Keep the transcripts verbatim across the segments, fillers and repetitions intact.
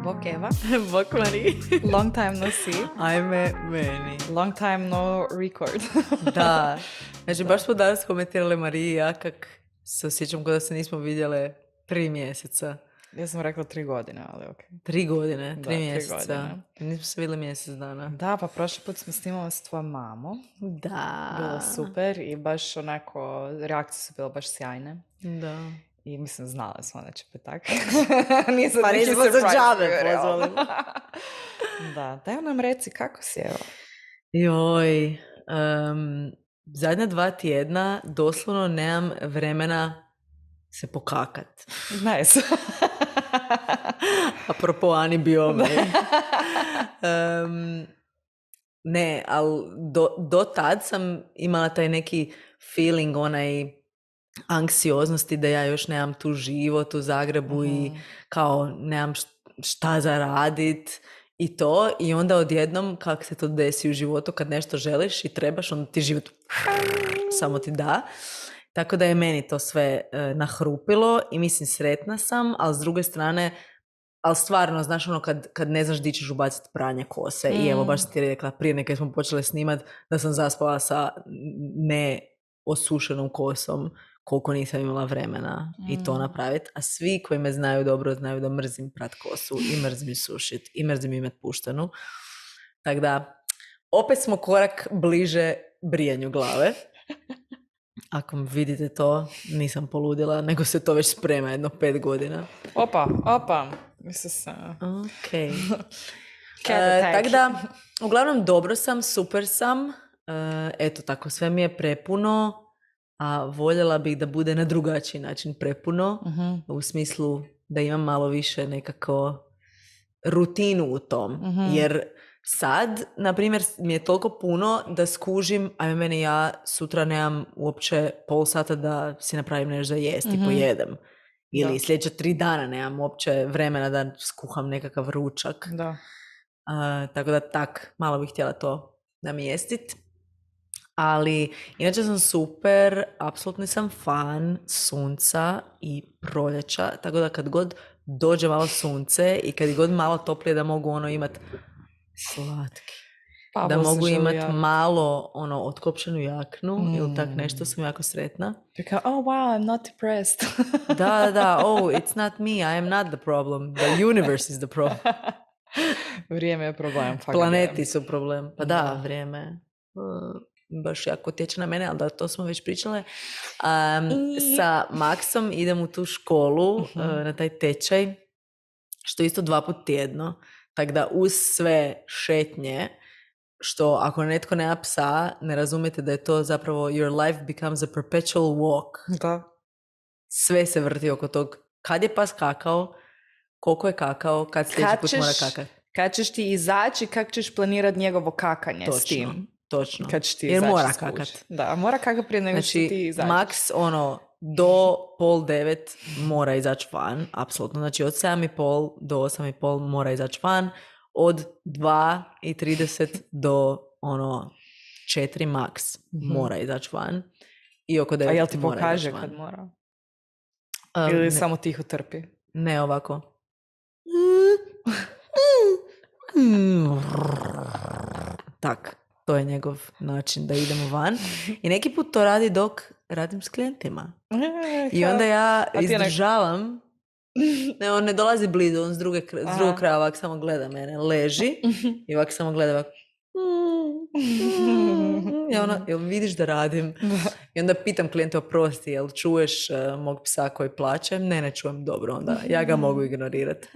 Bok Eva. Bok Mari. Long time no see. Ajme meni. Long time no record. Da. Znači, baš smo danas komentirali Mariji i ja kak se osjećam kada se nismo vidjele tri mjeseca. Ja sam rekla tri godine, ali ok. Tri godine, tri Da, tri mjeseca. godine. Nismo se vidjeli mjesec dana. Da, pa prošli put smo snimali s tvojom mamom. Da. Bilo super i baš onako, reakcije su bile baš sjajne. Da. I mislim, znala smo da će biti tako. Nisam Pa neki nismo za surprise džabe bio, pozvali. Da, daj nam reci kako si, evo. Joj. Um, zadnja dva tjedna doslovno nemam vremena se pokakat. Nice. Apropo Ani Biome. um, ne, ali do, do tad sam imala taj neki feeling, onaj anksioznosti da ja još nemam tu život u Zagrebu mm-hmm. i kao nemam šta za radit i to. I onda odjednom kako se to desi u životu kad nešto želiš i trebaš, onda ti život samo ti da. Tako da je meni to sve e, nahrupilo i mislim sretna sam, ali s druge strane, ali stvarno, znaš ono kad, kad ne znaš di ćeš ubaciti pranje kose mm. i evo baš sam ti rekla prije nekaj smo počeli snimat da sam zaspala sa neosušenom kosom koliko nisam imala vremena mm. i to napraviti, a svi koji me znaju dobro znaju da mrzim prat kosu i mrzim sušit i mrzim imet puštenu. Tako da, opet smo korak bliže brijanju glave. Ako vidite to, nisam poludila, nego se to već sprema jedno pet godina. Opa, opa. Mislim se... Ok. e, tako da, uglavnom dobro sam, super sam. E, eto tako, sve mi je prepuno, a voljela bih da bude na drugačiji način prepuno. Uh-huh. U smislu da imam malo više nekako rutinu u tom. Uh-huh. Jer sad, na primjer, mi je toliko puno da skužim, ajme meni ja sutra nemam uopće pol sata da si napravim nešto za jest mm-hmm. i pojedem. Ili da. Sljedeća tri dana nemam uopće vremena da skuham nekakav ručak. Da. Uh, tako da tak, malo bih htjela to namjestit. Ali inače sam super, apsolutni sam fan sunca i proljeća. Tako da kad god dođe malo sunce i kad god malo toplije da mogu ono imat slatki. Pa, da mogu imati malo ono otklopčenu jaknu mm. ili tak nešto, sam jako sretna. Because, oh wow, I'm not depressed. da, da, oh, it's not me, I am not the problem. The universe is the problem. Vrijeme je problem. Planeti su problem. Pa da, da. Vrijeme uh, baš jako tječe na mene, ali da, to smo već pričale. Um, I... Sa Maksom idem u tu školu, uh-huh. uh, na taj tečaj, što isto dva put tjedno. Tako da uz sve šetnje, što ako netko nema psa, ne razumijete da je to zapravo your life becomes a perpetual walk. Da. Sve se vrti oko tog. Kad je pas kakao, koliko je kakao, kad sljedeći put mora kakati. Kad ćeš ti izaći, kako ćeš planirati njegovo kakanje točno, s tim. Točno, kad ćeš ti jer mora kakat. Da, mora kakat prije nego znači, što ti izaći. Maks, ono, do pol devet mora izaći van, apsolutno. Znači od sedam i pol do osam i pol mora izaći van, od dva i trideset do ono četiri maks mm-hmm. mora izaći van i oko devet. A jel ti pokaže kad mora? Um, Ili ne, samo tiho trpi? Ne, ovako. Tak, to je njegov način da idemo van. I neki put to radi dok radim s klijentima. I onda ja izdržavam. Ne, on ne dolazi blizu, on s, druge, s drugog kraja ovak samo gleda mene. Leži i ovak samo gleda ovak. I ono, jel vidiš da radim? I onda pitam klijenta, oprosti, jel čuješ uh, mog psa koji plače? Ne, ne čujem, dobro, onda ja ga mogu ignorirati.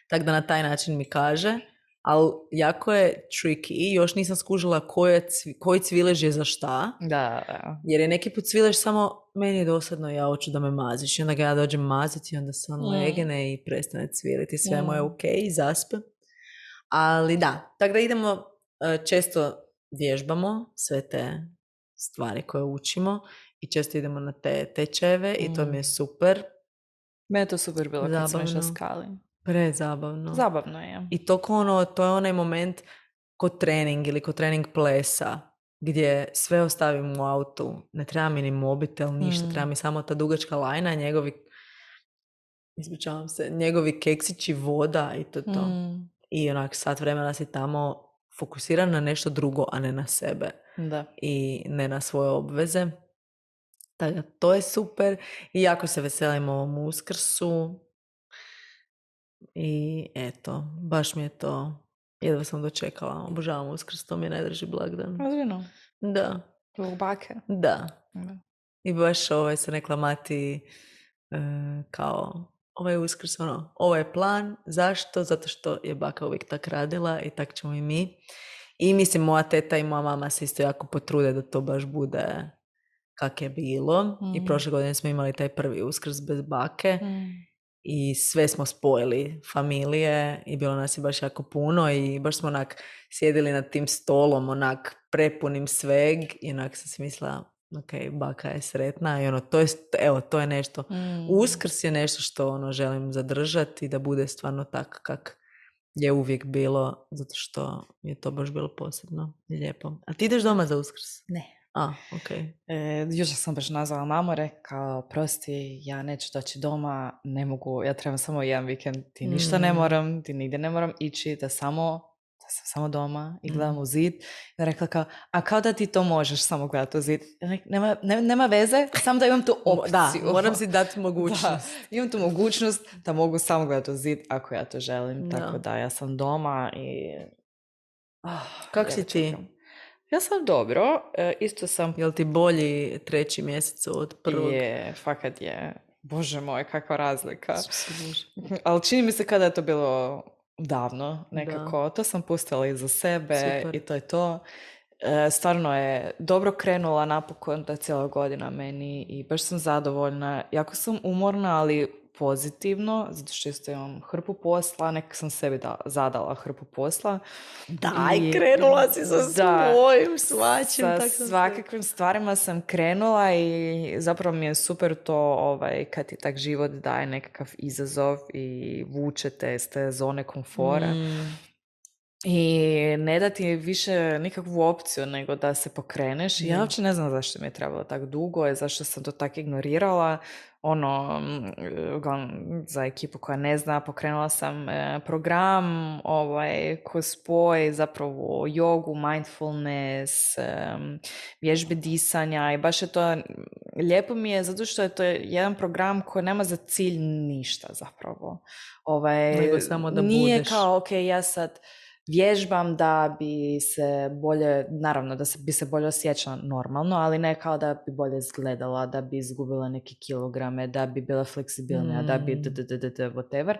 Tako da na taj način mi kaže. Ali jako je tricky i još nisam skužila koje cvi, koji cvilež je za šta. Da, da. Jer je neki put cvilež samo meni je dosadno, ja hoću da me maziš. I onda ga ja dođem maziti i onda se on mm. legene i prestane cviliti. Sve mm. mu je ok i zaspe. Ali da, tako da idemo, često vježbamo sve te stvari koje učimo i često idemo na te tečajeve mm. i to mi je super. Mene je to super bilo kad sam išla skali. Prezabavno. Zabavno je. I to, ono, to je onaj moment kod trening ili kod trening plesa gdje sve ostavim u autu. Ne treba mi ni mobitel, ništa. Mm. Treba mi samo ta dugačka lajna, njegovi ispričavam se, njegovi keksići, voda i to to. Mm. I onak sat vremena si tamo fokusiran na nešto drugo, a ne na sebe. Da. I ne na svoje obveze. Tako da, to je super. I jako se veselim ovom Uskrsu. I eto, baš mi je to, jedva sam dočekala. Obožavam Uskrs, to mi je najdraži blagdan. Ozbiljno? Da. Zbog bake? Da. Da. I baš ovaj sam rekla Mati e, kao ovaj Uskrs, ono, ovo je plan. Zašto? Zato što je baka uvijek tak radila i tak ćemo i mi. I mislim, moja teta i moja mama se isto jako potrude da to baš bude kak je bilo. Mm. I prošle godine smo imali taj prvi Uskrs bez bake. Mm. I sve smo spojili, familije, i bilo nas je baš jako puno i baš smo onak sjedili nad tim stolom, onak prepunim sveg i onak sam si mislila, ok, baka je sretna i ono, to je, evo, to je nešto. Mm. Uskrs je nešto što ono želim zadržati i da bude stvarno tak kak je uvijek bilo, zato što je to baš bilo posebno i lijepo. A ti ideš doma za Uskrs? Ne. A, ok. E, jučer sam baš nazvala mamu, rekao, prosti, ja neću doći doma, ne mogu, ja trebam samo jedan vikend, ti ništa mm. ne moram, ti nigdje ne moram ići, da samo, da sam samo doma i gledam mm. u zid. I rekla kao, a kao da ti to možeš samo gledati u zid? Nema, ne, nema veze, samo da imam tu opciju. Da, moram si dati mogućnost. Da, imam tu mogućnost da mogu samo gledati u zid ako ja to želim, da. Tako da ja sam doma i... Oh, kako si ti? Ja sam dobro, e, isto sam... Jel ti bolji treći mjesec od prvog? Je, fakat je. Bože moj, kakva razlika. Ali čini mi se kada je to bilo davno nekako. Da. To sam pustila iza sebe. Super. I to je to. E, stvarno je dobro krenula napokon ta cijela godina meni i baš sam zadovoljna. Jako sam umorna, ali pozitivno, zato što isto imam hrpu posla, nekak sam sebi da, zadala hrpu posla. Daj, I, krenula si sa da, svojim svačim. Sa svakakvim stvarima sam krenula i zapravo mi je super to ovaj, kad ti tak život daje nekakav izazov i vuče te iz te zone komfora. Mm. I ne da ti više nikakvu opciju nego da se pokreneš. I ja uopće ne znam zašto mi je trebalo tako dugo i zašto sam to tako ignorirala. Ono, za ekipu koja ne zna, pokrenula sam program ovaj, koji spoj zapravo jogu, mindfulness, vježbe disanja i baš je to, lijepo mi je zato što je to jedan program koji nema za cilj ništa zapravo. Ovaj, nego samo da nije budeš. Kao, ok, ja sad vježbam da bi se bolje, naravno da se, bi se bolje osjećala normalno, ali ne kao da bi bolje izgledala, da bi izgubila neke kilograme, da bi bila fleksibilnija, mm. da bi d, d, d, d, d, whatever,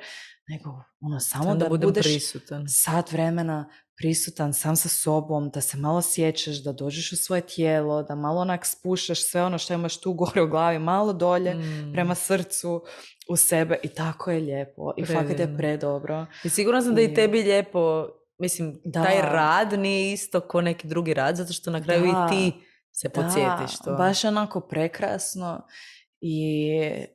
nego ono, samo sam da, da budeš prisutan. Sat vremena prisutan sam sa sobom, da se malo sjećaš, da dođeš u svoje tijelo, da malo onak spuštaš sve ono što imaš tu gore u glavi, malo dolje, mm. prema srcu, u sebe i tako je lijepo. I Predivno. fakat je predobro. I sigurno sam I... da i tebi lijepo. Mislim, da. Taj rad nije isto ko neki drugi rad, zato što na kraju da. I ti se podsjetiš to. Baš onako prekrasno i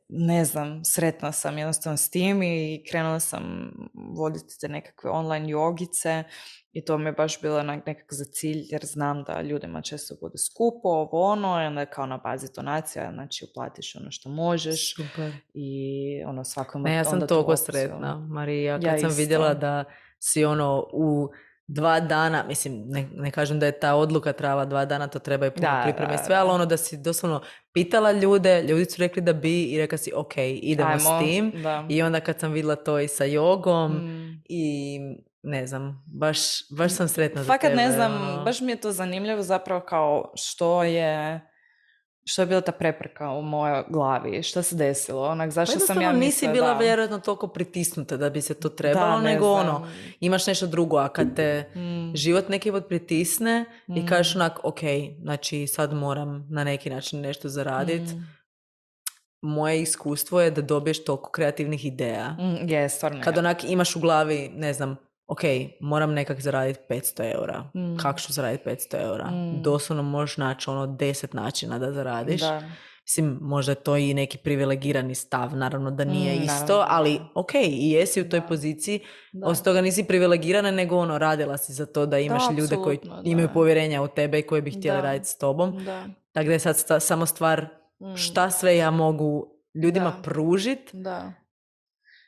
ne znam, sretna sam jednostavno s tim i krenula sam voditi te nekakve online jogice i to mi je baš bilo nekako za cilj jer znam da ljudima često bude skupo, ovo ono, i onda kao na bazi donacija, znači uplatiš ono što možeš. Super. I ono svakom... Ne, ja sam toliko sretna, Marija, kad ja sam isto. Vidjela da si ono u dva dana, mislim, ne, ne kažem da je ta odluka trajala dva dana, to treba i puno pripreme i sve, ali ono da si doslovno pitala ljude, ljudi su rekli da bi i rekla si ok, idemo Ajmo, s tim. Da. I onda kad sam vidjela to i sa jogom mm. i ne znam, baš, baš sam sretna Fakat za tebe. ne znam, ono. Baš mi je to zanimljivo zapravo kao što je... Što je bila ta prepreka u mojoj glavi? Što se desilo? Onak, zašto sam ja mislila, nisi bila da... vjerojatno toliko pritisnuta da bi se to trebalo, da, nego znam. Ono, imaš nešto drugo, a kad te mm. život neki put pritisne mm. i kažeš onak, ok, znači sad moram na neki način nešto zaraditi, mm. moje iskustvo je da dobiješ toliko kreativnih ideja. Mm, je, stvarno. Kad onak imaš u glavi, ne znam, ok, moram nekak zaraditi petsto eura. Mm. Kako ću zaraditi petsto eura? Mm. Doslovno možeš naći ono deset načina da zaradiš. Da. Mislim, možda je to i neki privilegirani stav, naravno da nije mm, isto, naravno. Ali ok, i jesi u toj da. Poziciji, osim toga nisi privilegirana, nego ono, radila si za to da imaš da, ljude koji da. Imaju povjerenja u tebe i koji bi htjeli da. Raditi s tobom. Da. Tako da je sad sta, samo stvar mm. šta sve ja mogu ljudima da. Pružiti. Da.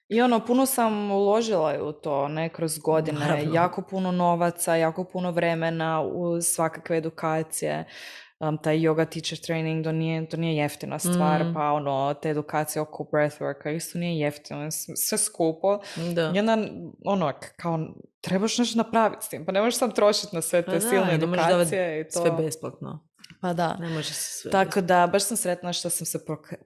I ono, puno sam uložila u to, ne, kroz godine, Naravno. jako puno novaca, jako puno vremena u svakakve edukacije. Um, taj yoga teacher training, to nije, to nije jeftina stvar, Mm. pa ono, te edukacije oko breathworka isto nije jeftino, sve skupo. Da. I onda, ono, kao, trebaš nešto napraviti s tim, pa ne možeš sam trošiti na sve te Pa da, silne i ne možeš edukacije i to. sve besplatno. Pa da. Ne može se sve Tako besplatno. da, baš sam sretna što sam se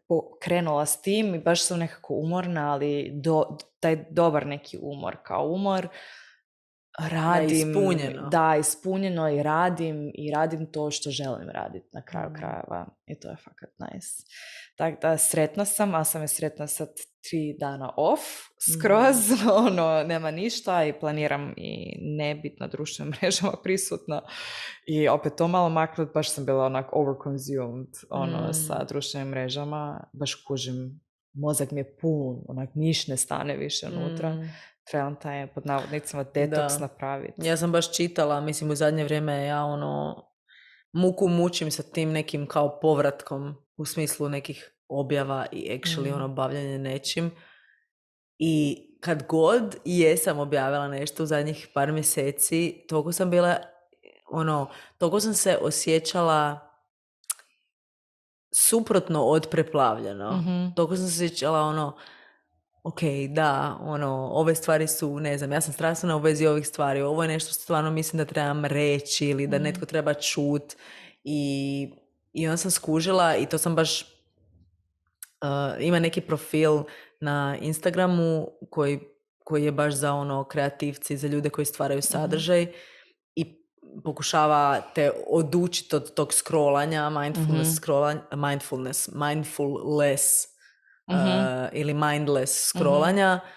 pokrenula s tim i baš sam nekako umorna, ali do, taj dobar neki umor, kao umor, radim. Da, ispunjeno. Da, ispunjeno i radim i radim to što želim raditi na kraju mm. krajeva i to je fakat nice. Tako da, sretna sam, a sam je sretna sad tri dana off, skroz, mm. ono, nema ništa i planiram i ne biti na društvenim mrežama prisutna i opet to malo maknut, baš sam bila onak overconsumed, ono, mm. sa društvenim mrežama, baš kužim, mozak mi je pun, onak, niš ne stane više unutra. Mm. Trebam taj, pod navodnicima, detoks napraviti. Ja sam baš čitala, mislim, u zadnje vrijeme ja, ono, muku mučim sa tim nekim kao povratkom u smislu nekih objava i actually, mm. ono, bavljanje nečim. I kad god jesam objavila nešto u zadnjih par mjeseci, toliko sam bila, ono, toliko sam se osjećala suprotno od preplavljeno. Mm-hmm. Toliko sam se osjećala, ono, ok, da, ono, ove stvari su, ne znam, ja sam strastvena u vezi ovih stvari, ovo je nešto što stvarno mislim da trebam reći ili da mm. netko treba čut i, i onda sam skužila i to sam baš, uh, ima neki profil na Instagramu koji, koji je baš za ono kreativci, za ljude koji stvaraju sadržaj mm-hmm. i pokušava te odučiti od tog scrollanja, mindfulness, mm-hmm. scrollanja, mindfulness, mindfulless, Mm-hmm. Uh, ili mindless scrollanja mm-hmm.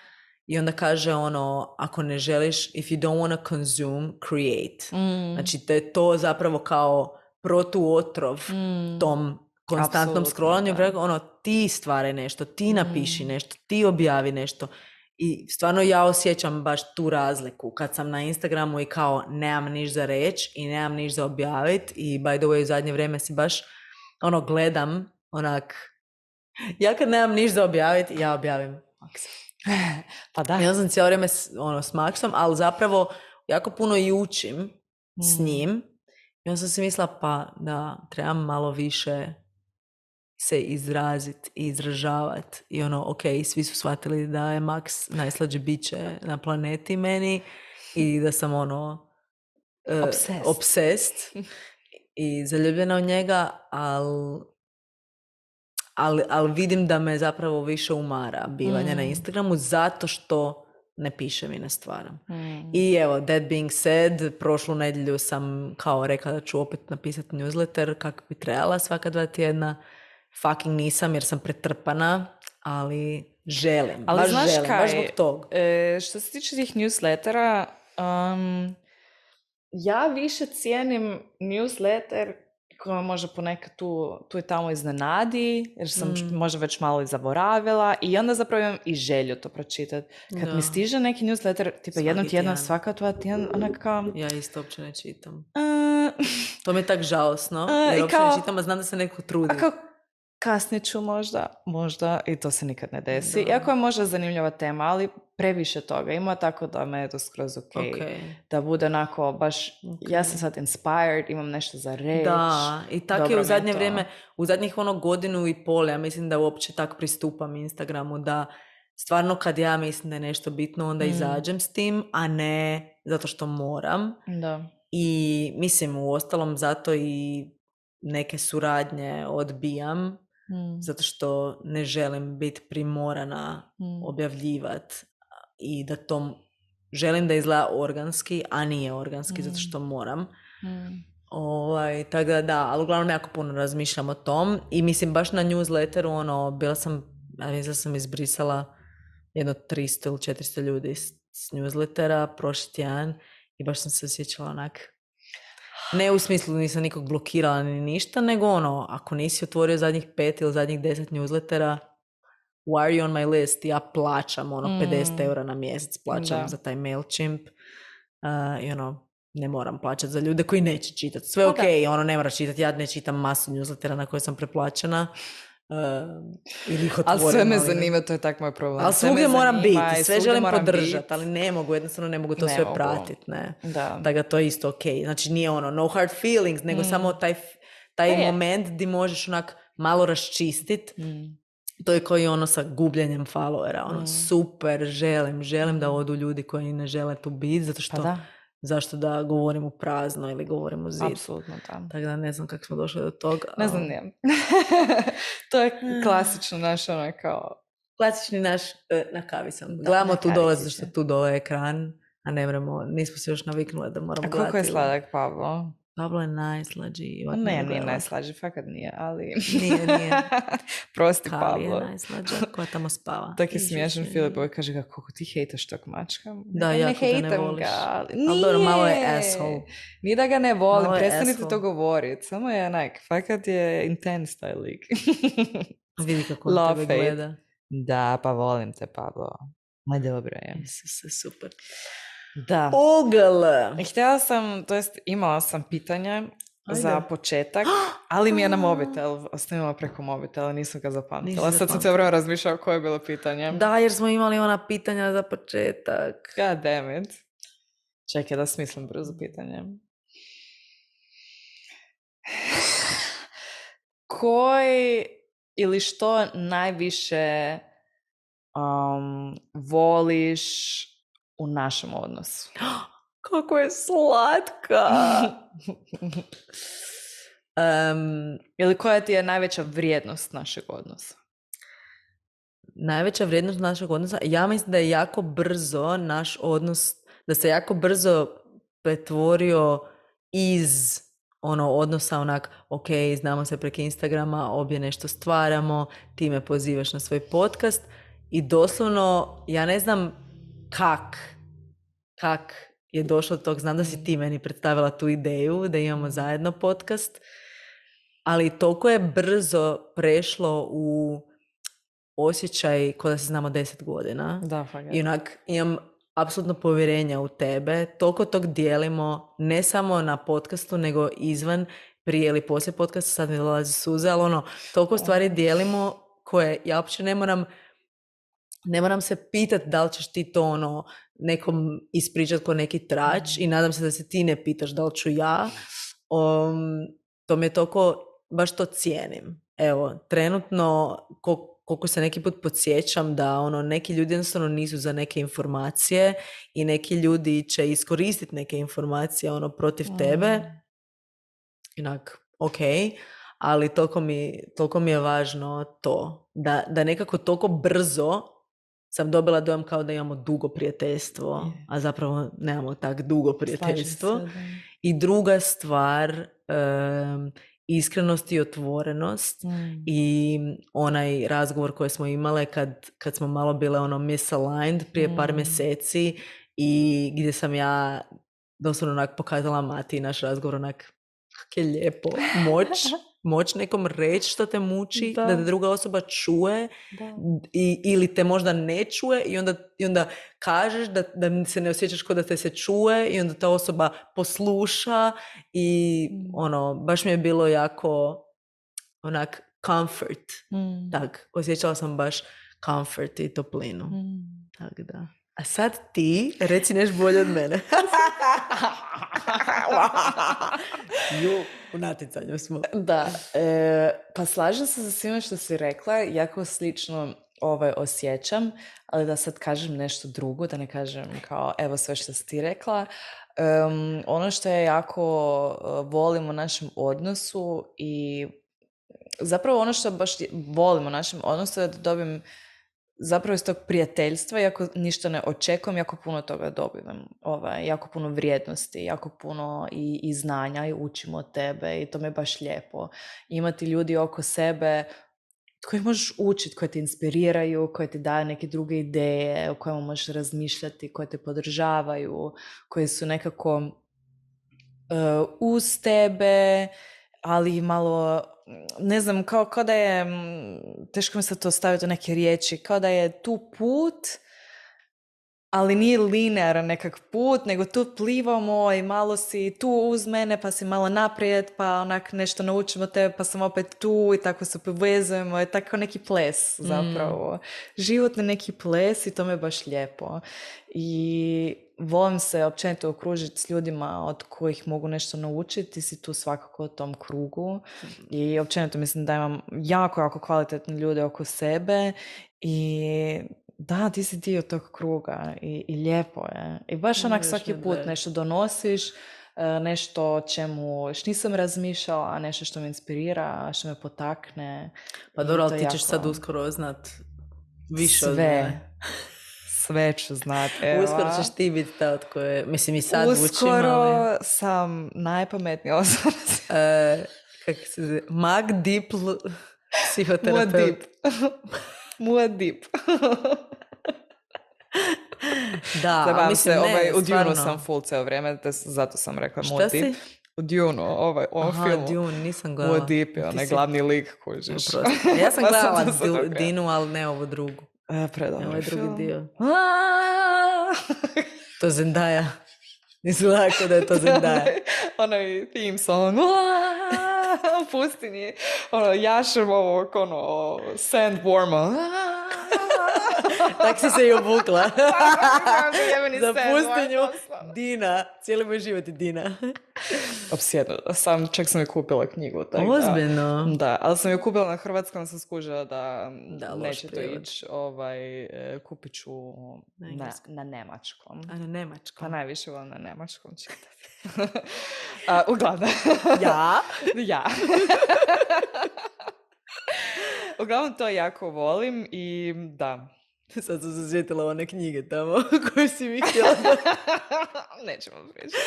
i onda kaže ono, ako ne želiš, if you don't want to consume, create. Mm. Znači te to zapravo kao protuotrov mm. tom konstantnom Absolutno, scrollanju, da. Ono, ti stvaraj nešto, ti napiši mm. nešto, ti objavi nešto. I stvarno ja osjećam baš tu razliku kad sam na Instagramu i kao nemam niš za reći i nemam niš za objaviti i by the way u zadnje vrijeme si baš ono gledam onak. Ja kad nemam niš za objaviti, ja objavim Maksa. Pa da. Ja sam cijelo vrijeme ono, s Maksom, ali zapravo jako puno i učim mm. s njim. I onda sam si mislila, pa da, trebam malo više se izraziti i izražavati. I ono, ok, svi su shvatili da je Maks najslađe biće na planeti meni i da sam ono uh, obsessed. obsessed i zaljubljena u njega, ali Ali, ali vidim da me zapravo više umara bivanje mm. na Instagramu zato što ne pišem i ne stvaram. Mm. I evo, that being said, prošlu nedjelju sam kao rekla da ću opet napisati newsletter kako bi trebala svaka dva tjedna. Fucking nisam jer sam pretrpana, ali želim. Ali baš znaš želim, kaj, baš zbog toga. E, što se tiče tih newslettera, um, ja više cijenim newsletter koja možda ponekad tu, tu i tamo iznenadi, jer sam mm. možda već malo i zaboravila i onda zapravo imam i želju to pročitati. Kad da. mi stiže neki newsletter, tipa jednom tjedna, svaka dva tjedan, onaka... Ja isto uopće ne čitam. Uh, to mi je tak žalosno, uh, jer uopće kao, ne čitam, a znam da se neko trudi. A kao kasnije ću možda, možda, i to se nikad ne desi. Da. Iako je možda zanimljiva tema, ali previše toga ima, tako da me je to skroz ok. okay. Da bude onako baš, okay. ja sam sad inspired, imam nešto za reći. Da, i tako je u zadnje vrijeme, u zadnjih ono godinu i pol, ja mislim da uopće tako pristupam Instagramu, da stvarno kad ja mislim da je nešto bitno, onda mm. izađem s tim, a ne zato što moram. Da. I mislim, u ostalom zato i neke suradnje odbijam, mm. zato što ne želim biti primorana mm. objavljivati i da to želim da izgleda organski, a nije organski mm. zato što moram. Mm. Ovaj, tako da da, ali uglavnom jako puno razmišljam o tom i mislim baš na newsletteru, ono, bila sam, ja mislim da sam izbrisala jedno tristo ili četiristo ljudi s, s newslettera prošli tjedan i baš sam se osjećala onak. Ne u smislu nisam nikog blokirala ni ništa, nego ono, ako nisi otvorio zadnjih pet ili zadnjih deset newslettera, why are you on my list? Ja plaćam ono mm. pedeset eura na mjesec, plaćam da. za taj MailChimp uh, i ono, ne moram plaćati za ljude koji neće čitati. Sve ok, ono, ne moraš čitati, ja ne čitam masu newslettera na koje sam preplaćena. Uh, ili ih otvorim. Ali sve me ali ne. zanima, to je tak moj problem. Ali Sve svugdje me moram zanima biti, i sve svugdje želim moram podržati, bit. ali ne mogu, jednostavno ne mogu to Ne sve mogu. pratiti, ne. Da. Da ga to je isto ok. Znači nije ono no hard feelings, nego Mm. samo taj, taj Pa je. moment di možeš onak malo raščistit. Mm. To je kao i ono sa gubljenjem followera. Ono, Mm. super, želim, želim Mm. da odu ljudi koji ne žele tu biti, zato što Pa da. zašto da govorim u prazno ili govorim u zid. Apsolutno da. Tako da ne znam kako smo došli do toga. Ne znam, nijem. To je klasično naš ono kao... Klasični naš, e, na kavi sam. Da, Gledamo na tu kavi dole, si zato što se. tu dole je ekran, a ne vremo, nismo se još naviknuli da moramo A gledati. koliko je sladak Pablo? Pablo je najslađi. Ne, nije nije najslađi, fakat nije, ali... Nije, nije. Prosti Kali Pablo. je najslađa koja tamo spava. Tak je Iže smiješan se. Filip, koji kaže ga, koliko ti hejtaš tog mačka? Da, ne, jako ga ne hejtam voliš. ga, ali Ali nije. dobro, malo je asshole. Nije da ga ne volim, Malo je prestanite asshole. to govoriti. Samo je onak, fakat je intense taj lik. Vidi kako on Love, tebe hate. gleda. Da, pa volim te, Pablo. Ma dobro je. Isuse, super. Da. Ogl! Htjela sam, to jest imala sam pitanje Ajde. za početak, ali mi je na mobitel, ostavila preko mobitela, nisam ga zapamtila. Nisi Sad sam zapamtila. se vrlo razmišljala koje je bilo pitanje. Da, jer smo imali ona pitanja za početak. God damn it. Čekaj da smislim brzo pitanje. Koji ili što najviše um, voliš u našem odnosu? Kako je slatka! um, Ili koja ti je najveća vrijednost našeg odnosa? najveća vrijednost našeg odnosa, ja mislim da je jako brzo naš odnos, da se jako brzo pretvorio iz ono odnosa onak, ok, znamo se preko Instagrama, obje nešto stvaramo, ti me pozivaš na svoj podcast i doslovno, ja ne znam kak, kak je došlo do tog, znam da si ti meni predstavila tu ideju da imamo zajedno podcast, ali toliko je brzo prešlo u osjećaj kao da se znamo deset godina. Da, fakat. I onak imam apsolutno povjerenja u tebe. Toliko tog dijelimo ne samo na podcastu, nego izvan, prije ili poslije podcasta, sad mi dolazi suze, ali ono, toliko stvari dijelimo koje ja uopće ne moram ne moram se pitati da li ćeš ti to ono nekom ispričati ko neki trač i nadam se da se ti ne pitaš da li ću ja. Um, to mi je toliko, baš to cijenim. Evo, trenutno ko koliko se neki put podsjećam da ono, neki ljudi jednostavno nisu za neke informacije i neki ljudi će iskoristiti neke informacije ono, protiv Mm. tebe. Inak, ok, ali toliko mi, toliko mi je važno to. Da, da nekako toliko brzo sam dobila dojam kao da imamo dugo prijateljstvo, Je. a zapravo nemamo tak dugo prijateljstvo. Slažem se, da. I druga stvar, um, iskrenost i otvorenost Mm. i onaj razgovor koji smo imale kad, kad smo malo bile ono misaligned prije par Mm. mjeseci i gdje sam ja doslovno onak pokazala Mati naš razgovor onak kak je lijepo moć, moć nekom reći što te muči, Da. da te druga osoba čuje Da. i, ili te možda ne čuje i onda, i onda kažeš da, da se ne osjećaš kao da te se čuje i onda ta osoba posluša i Mm. ono, baš mi je bilo jako onak comfort. Mm. Tak, osjećala sam baš comfort i toplinu. Mm. Tak da. A sad ti reci nešto bolje od mene. Ju, u natjecanju smo. Da, e, pa slažem se sa svime što si rekla, jako slično ovaj, osjećam, ali da sad kažem nešto drugo, da ne kažem kao evo sve što si ti rekla. Um, ono što je jako uh, volim u našem odnosu i zapravo ono što baš volim u našem odnosu je da dobijem zapravo iz tog prijateljstva, iako ništa ne očekujem, jako puno toga dobivam. Ovaj, jako puno vrijednosti, jako puno i, i znanja i učimo od tebe i to mi je baš lijepo. Imati ljudi oko sebe koji možeš učiti, koji te inspiriraju, koji ti daju neke druge ideje, o kojima možeš razmišljati, koji te podržavaju, koji su nekako uh, uz tebe, ali malo, ne znam, kao, kao da je, teško mi se to staviti u neke riječi, kao da je tu put, ali nije linearan nekak put, nego tu plivamo i malo si tu uz mene, pa si malo naprijed, pa onak nešto naučimo tebe, pa sam opet tu i tako se povezujemo. Je tako neki ples zapravo. Mm. Životni neki ples i to me baš lijepo. I volim se općenito okružiti s ljudima od kojih mogu nešto naučiti. Si tu svakako u tom krugu. I općenito mislim da imam jako, jako kvalitetne ljude oko sebe i da, ti si dio tog kruga i, i lijepo je. I baš onak svaki put nešto donosiš, nešto o čemu još nisam razmišljala, a nešto što me inspirira, što me potakne. Pa dobro, ali ti ćeš jako... sad uskoro znat više sve. Od mene. Sve ću znat, evo. Uskoro ćeš ti biti ta od koje, mislim i sad uskoro učim, ali... Uskoro sam najpametnija osoba. uh, kako se zove? Mag Dipl psihoterapeut. Muadip. Da, Zabavam mislim, se, ne, ovaj, u stvarno. Dunu sam full ceo vrijeme, zato sam rekla Šta Muadip. si? U Dunu, ovaj, ovaj Aha, film. Dune, nisam gledala. Muadip je onaj si... glavni lik kužiš. Ja sam gledala du, Dinu, ali ne ovu drugu. E, predobro ovaj film. drugi dio. To Zendaya. Nisam lako da je to Zendaya. Onaj theme song. U pustinji. Ono, jašem ovog, ono, sandworma. Tak si se i obukla. Za pustinju Dina. Cijeli moj život je Dina. Opsjednuta sam, čak sam je kupila knjigu. Tak, ozbiljno? Da, da, ali sam je kupila na hrvatskom, sam skužila da, da neće to ići. Ovaj, kupit ću na, na nemačkom. A na nemačkom? Pa najviše volim na nemačkom čitati. uh, uglavnom. Ja? Ja. Uglavnom to jako volim i da. Sad sam se sjetila one knjige tamo koje si mi htjela. Nećemo pričati.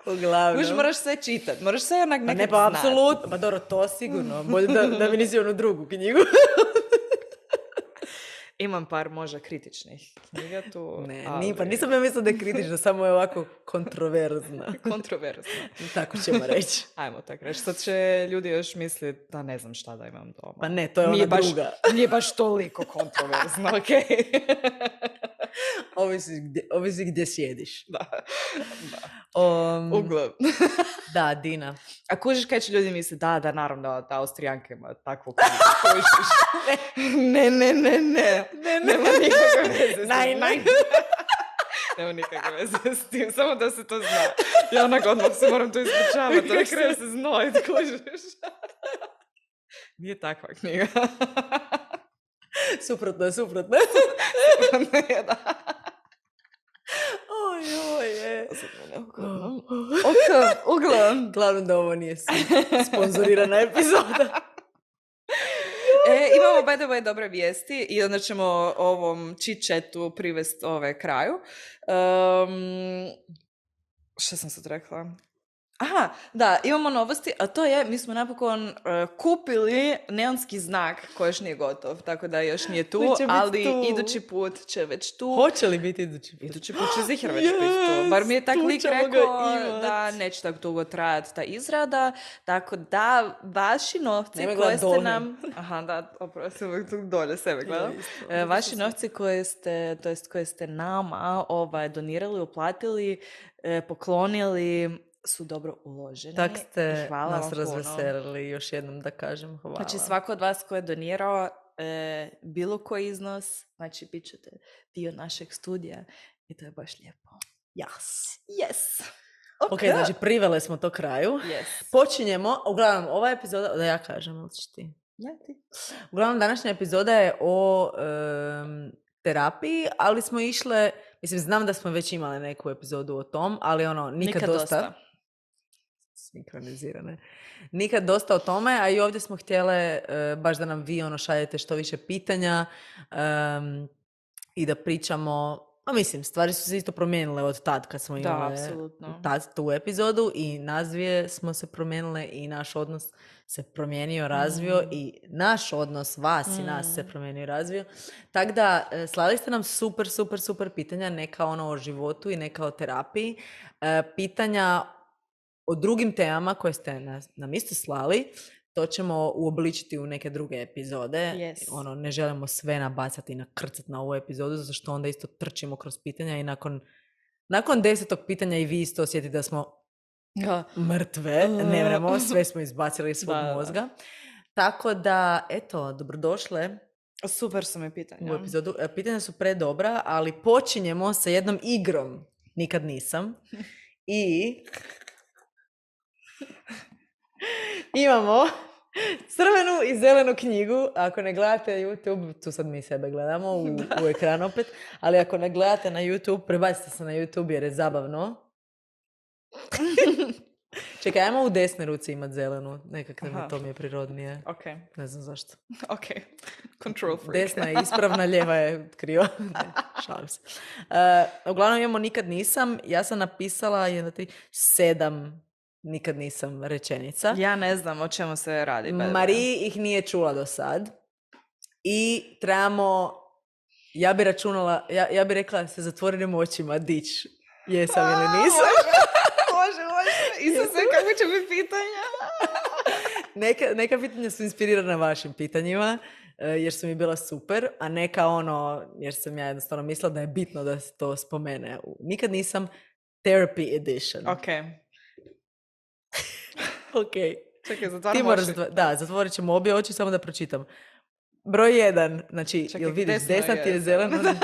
Uglavnom. Už moraš sve čitati, moraš sve onak nekad znati. Pa ne, pa apsolutno. Pa dobro, to sigurno. Bolje da, da mi nisi onu drugu knjigu. Imam par možda kritičnih knjiga tu. Ne, ali... ni, pa nisam ja mislila da je kritična, samo je ovako kontroverzna. Kontroverzna. Tako ćemo reći. Ajmo tako reći. Sad će ljudi još misliti da ne znam šta da imam doma. Pa ne, to je ona nije baš, druga. Nije baš toliko kontroverzno, okej? Okay? Ovisi gdje, ovisi gdje sjediš. Da. da. Um, Uglavnom. Da, Dina. A kužiš kaj će ljudi misliti, da, da, naravno da, da Austrijanka ima takvu knjigu. ne, ne, ne, ne. ne, ne. Nema nikakve veze. Naj, naj. Nema nikakve veze s tim, samo da se to zna. Ja onak odmah se moram to ispričavati, da krenu se znojit, kužiš. Nije takva knjiga. Suprotno je, suprotno je. Suprotno je, da. Oj, oj, je. Ok, uglavnom. Glavno da ovo nije sponzorirana epizoda. E, imamo by the way dobre vijesti i onda ćemo ovom chit-chatu privesti ove kraju. Um, što sam sad rekla? Aha, da, imamo novosti, a to je, mi smo napokon uh, kupili neonski znak koji još nije gotov, tako da još nije tu, ali tu. Idući put će već tu. Hoće li biti idući put? Idući put će zihar već yes, biti tu. Bar mi je tak lik rekao da neće tako dugo trajati ta izrada, tako da vaši novci Nema koje ste dolje. nam... Aha, da, oprosti, uvijek tu dolje sebe gledam. Ja, uh, vaši novci koje ste, to jest koje ste nama ovaj, donirali, uplatili, eh, poklonili, su dobro uloženi. Tak ste hvala nas razveselili, još jednom da kažem hvala. Znači svako od vas ko je donirao e, bilo koji iznos, znači bit ćete dio našeg studija i to je baš lijepo. Yes. Yes. Ok, okay znači privele smo to kraju. Yes. Počinjemo, uglavnom ova epizoda, da ja kažem, ali ćeš ti? Ja ti. Uglavnom današnja epizoda je o um, terapiji, ali smo išle, mislim znam da smo već imali neku epizodu o tom, ali ono, nikad, nikad dosta. dosta. Sinkronizirane. Nikad dosta o tome, a i ovdje smo htjele uh, baš da nam vi ono šaljete što više pitanja um, i da pričamo, a mislim, stvari su se isto promijenile od tad kad smo imali tad, tu epizodu i nas dvije smo se promijenile i naš odnos se promijenio, razvio mm. i naš odnos vas mm. i nas se promijenio i razvio. Tako da slali ste nam super, super, super pitanja, neka ono o životu i neka o terapiji. Uh, pitanja o drugim temama koje ste nas, nam isto slali, to ćemo uobličiti u neke druge epizode. Yes. Ono, ne želimo sve nabacati i nakrcati na ovu epizodu, zato što onda isto trčimo kroz pitanja i nakon, nakon desetog pitanja i vi isto osjetite da smo Ja. mrtve, ne vremo, sve smo izbacili iz svog Da, da. mozga. Tako da, eto, dobrodošle Super su mi pitanja. u epizodu. E, Pitanja su predobra, ali počinjemo sa jednom igrom. Nikad nisam. I imamo crvenu i zelenu knjigu. Ako ne gledate YouTube, tu sad mi sebe gledamo u, u ekran opet, ali ako ne gledate na YouTube, prebacite se na YouTube jer je zabavno. Čekaj, ajmo u desnoj ruci imat zelenu. Nekak mi to mi je prirodnije. Ok. Ne znam zašto. Ok. Control freak. Desna je ispravna, ljeva je kriva. Ne, šalim se. Uh, uglavnom imamo nikad nisam. Ja sam napisala jedna, tri, sedam nikad nisam rečenica. Ja ne znam o čemu se radi. Mariji ih nije čula do sad. I trebamo, ja bi računala, ja, ja bi rekla se zatvorenim očima dić. Jesam ili nisam. Može, može. Isuse, kako će biti pitanja? Neka, neka pitanja su inspirirana vašim pitanjima, jer su mi bila super, a neka ono, jer sam ja jednostavno mislila da je bitno da se to spomene. Nikad nisam therapy edition. Ok. Ok. Čekaj, zatvaram oči. Zatv- da, zatvorit ćemo obje oči samo da pročitam. Broj jedan, znači, Čekaj, jel vidiš, desno desna je, ti je zelena.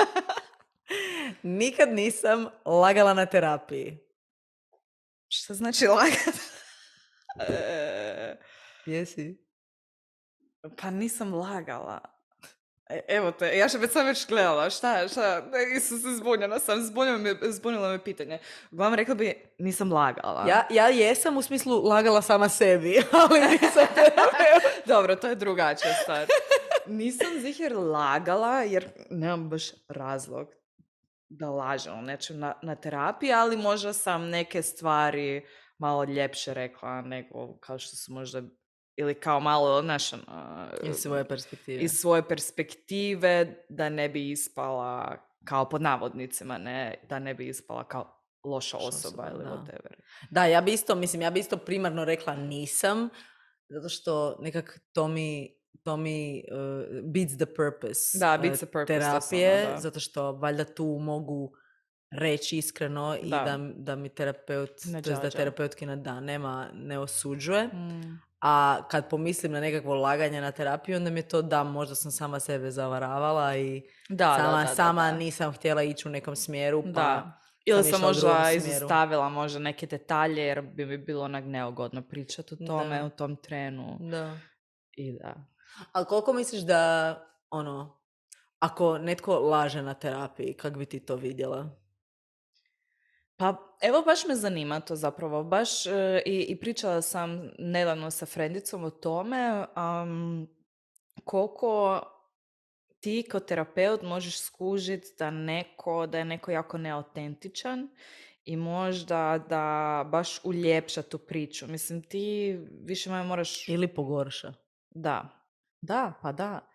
Nikad nisam lagala na terapiji. Šta znači lagat? e, Jesi? pa nisam lagala. E, evo te, ja še već sam već gledala. Šta, šta? E, Isuse, zbunjena sam. Zbunjila me, zbunjila me pitanje. Uglavnom rekla bi, nisam lagala. Ja, ja jesam u smislu lagala sama sebi, ali nisam terapeut. Dobro, to je drugačija stvar. Nisam zihjer lagala, jer nemam baš razlog da lažem o nečem na, na terapiji, ali možda sam neke stvari malo ljepše rekla nego kao što su možda, ili kao malo, znaš, ono, Iz svoje perspektive. iz svoje perspektive, da ne bi ispala kao pod navodnicima, ne, da ne bi ispala kao loša osoba, osoba, ili da. whatever. Da, ja bi isto, mislim, ja bi isto primarno rekla nisam, zato što nekak to mi, to mi uh, beats the purpose, Da, beats uh, the purpose, terapije, doslovno, da. zato što valjda tu mogu reći iskreno i Da. da, da mi terapeut, Ne to jest da đađa. terapeutkinja da nema, ne osuđuje. Mm. A kad pomislim na nekakvo laganje na terapiju, onda mi je to da, možda sam sama sebe zavaravala i Da, sama, da, da, sama da. nisam htjela ići u nekom smjeru, pa Da. Ili sam išla u drugom možda smjeru. izostavila možda neke detalje jer bi mi bilo onak neugodno pričati o tome Da. u tom trenu. Da. I da. Ali koliko misliš da, ono, ako netko laže na terapiji, kak bi ti to vidjela? Pa evo baš me zanima to zapravo. Baš e, i, i pričala sam nedavno sa frendicom o tome um, koliko ti kao terapeut možeš skužiti da neko, da je neko jako neautentičan i možda da baš uljepša tu priču. Mislim, ti više manje moraš... Ili pogorša? Da, da, pa da.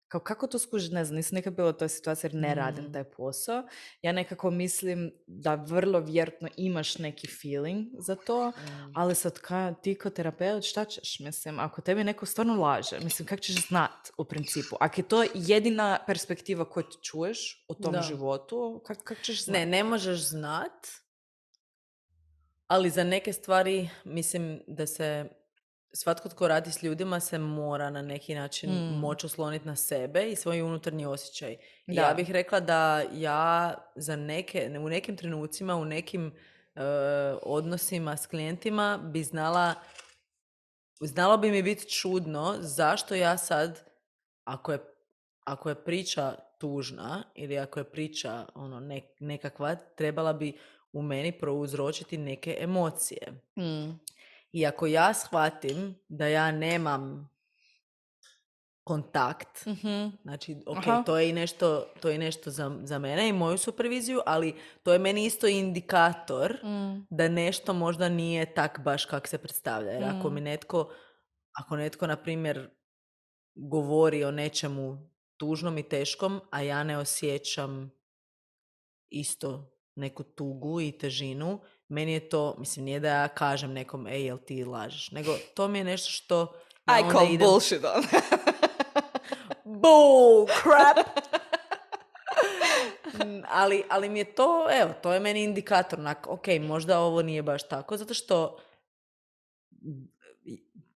Kao kako to skužiti, ne znam, nisam nekad bila u toj situaciji jer ne radim Mm. taj posao. Ja nekako mislim da vrlo vjerojatno imaš neki feeling za to, Mm. ali sad ka, ti kao terapeut šta ćeš, mislim, ako tebi neko stvarno laže, mislim, kako ćeš znat u principu? Ako je to jedina perspektiva koju ti čuješ o tom Da. životu, kako kak ćeš znat? Ne, ne možeš znat, ali za neke stvari mislim da se svatko tko radi s ljudima se mora na neki način Mm. moći osloniti na sebe i svoj unutarnji osjećaj. I Da. ja bih rekla da ja za neke, u nekim trenucima, u nekim e, odnosima s klijentima bi znala, znalo bi mi biti čudno zašto ja sad, ako je, ako je priča tužna ili ako je priča ono, ne, nekakva, trebala bi u meni prouzročiti neke emocije. Mm. I ako ja shvatim da ja nemam kontakt, Mhm. znači, ok, Aha. to je i nešto, to je nešto za, za mene i moju superviziju, ali to je meni isto indikator Mm. da nešto možda nije tak baš kak se predstavlja. Jer ako Mm. mi netko, ako netko, na primjer, govori o nečemu tužnom i teškom, a ja ne osjećam isto neku tugu i težinu, meni je to, mislim, nije da ja kažem nekom, ej, jel ti lažeš, nego to mi je nešto što Ja I onda call idem- bullshit on. Bull crap! Mm, ali, ali mi je to, evo, to je meni indikator. Onak, ok, možda ovo nije baš tako, zato što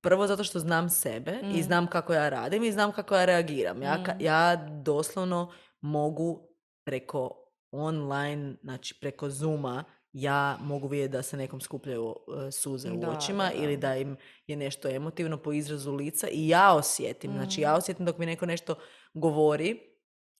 prvo zato što znam sebe i Mm. znam kako ja radim i znam kako ja reagiram. Ja, ka- Mm. ja doslovno mogu preko online, znači preko Zooma, ja mogu vidjeti da se nekom skupljaju uh, suze u Da, očima da, da. ili da im je nešto emotivno po izrazu lica i ja osjetim. Znači ja osjetim dok mi neko nešto govori,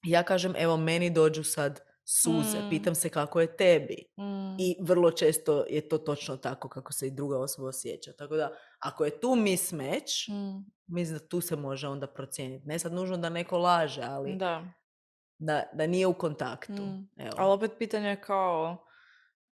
ja kažem evo meni dođu sad suze, Mm. pitam se kako je tebi. Mm. I vrlo često je to točno tako kako se i druga osoba osjeća. Tako da, ako je tu mismatch, Mm. mislim da tu se može onda procijeniti. Ne sad nužno da neko laže, ali Da. da, da nije u kontaktu. Mm. Evo. Ali opet pitanje je kao,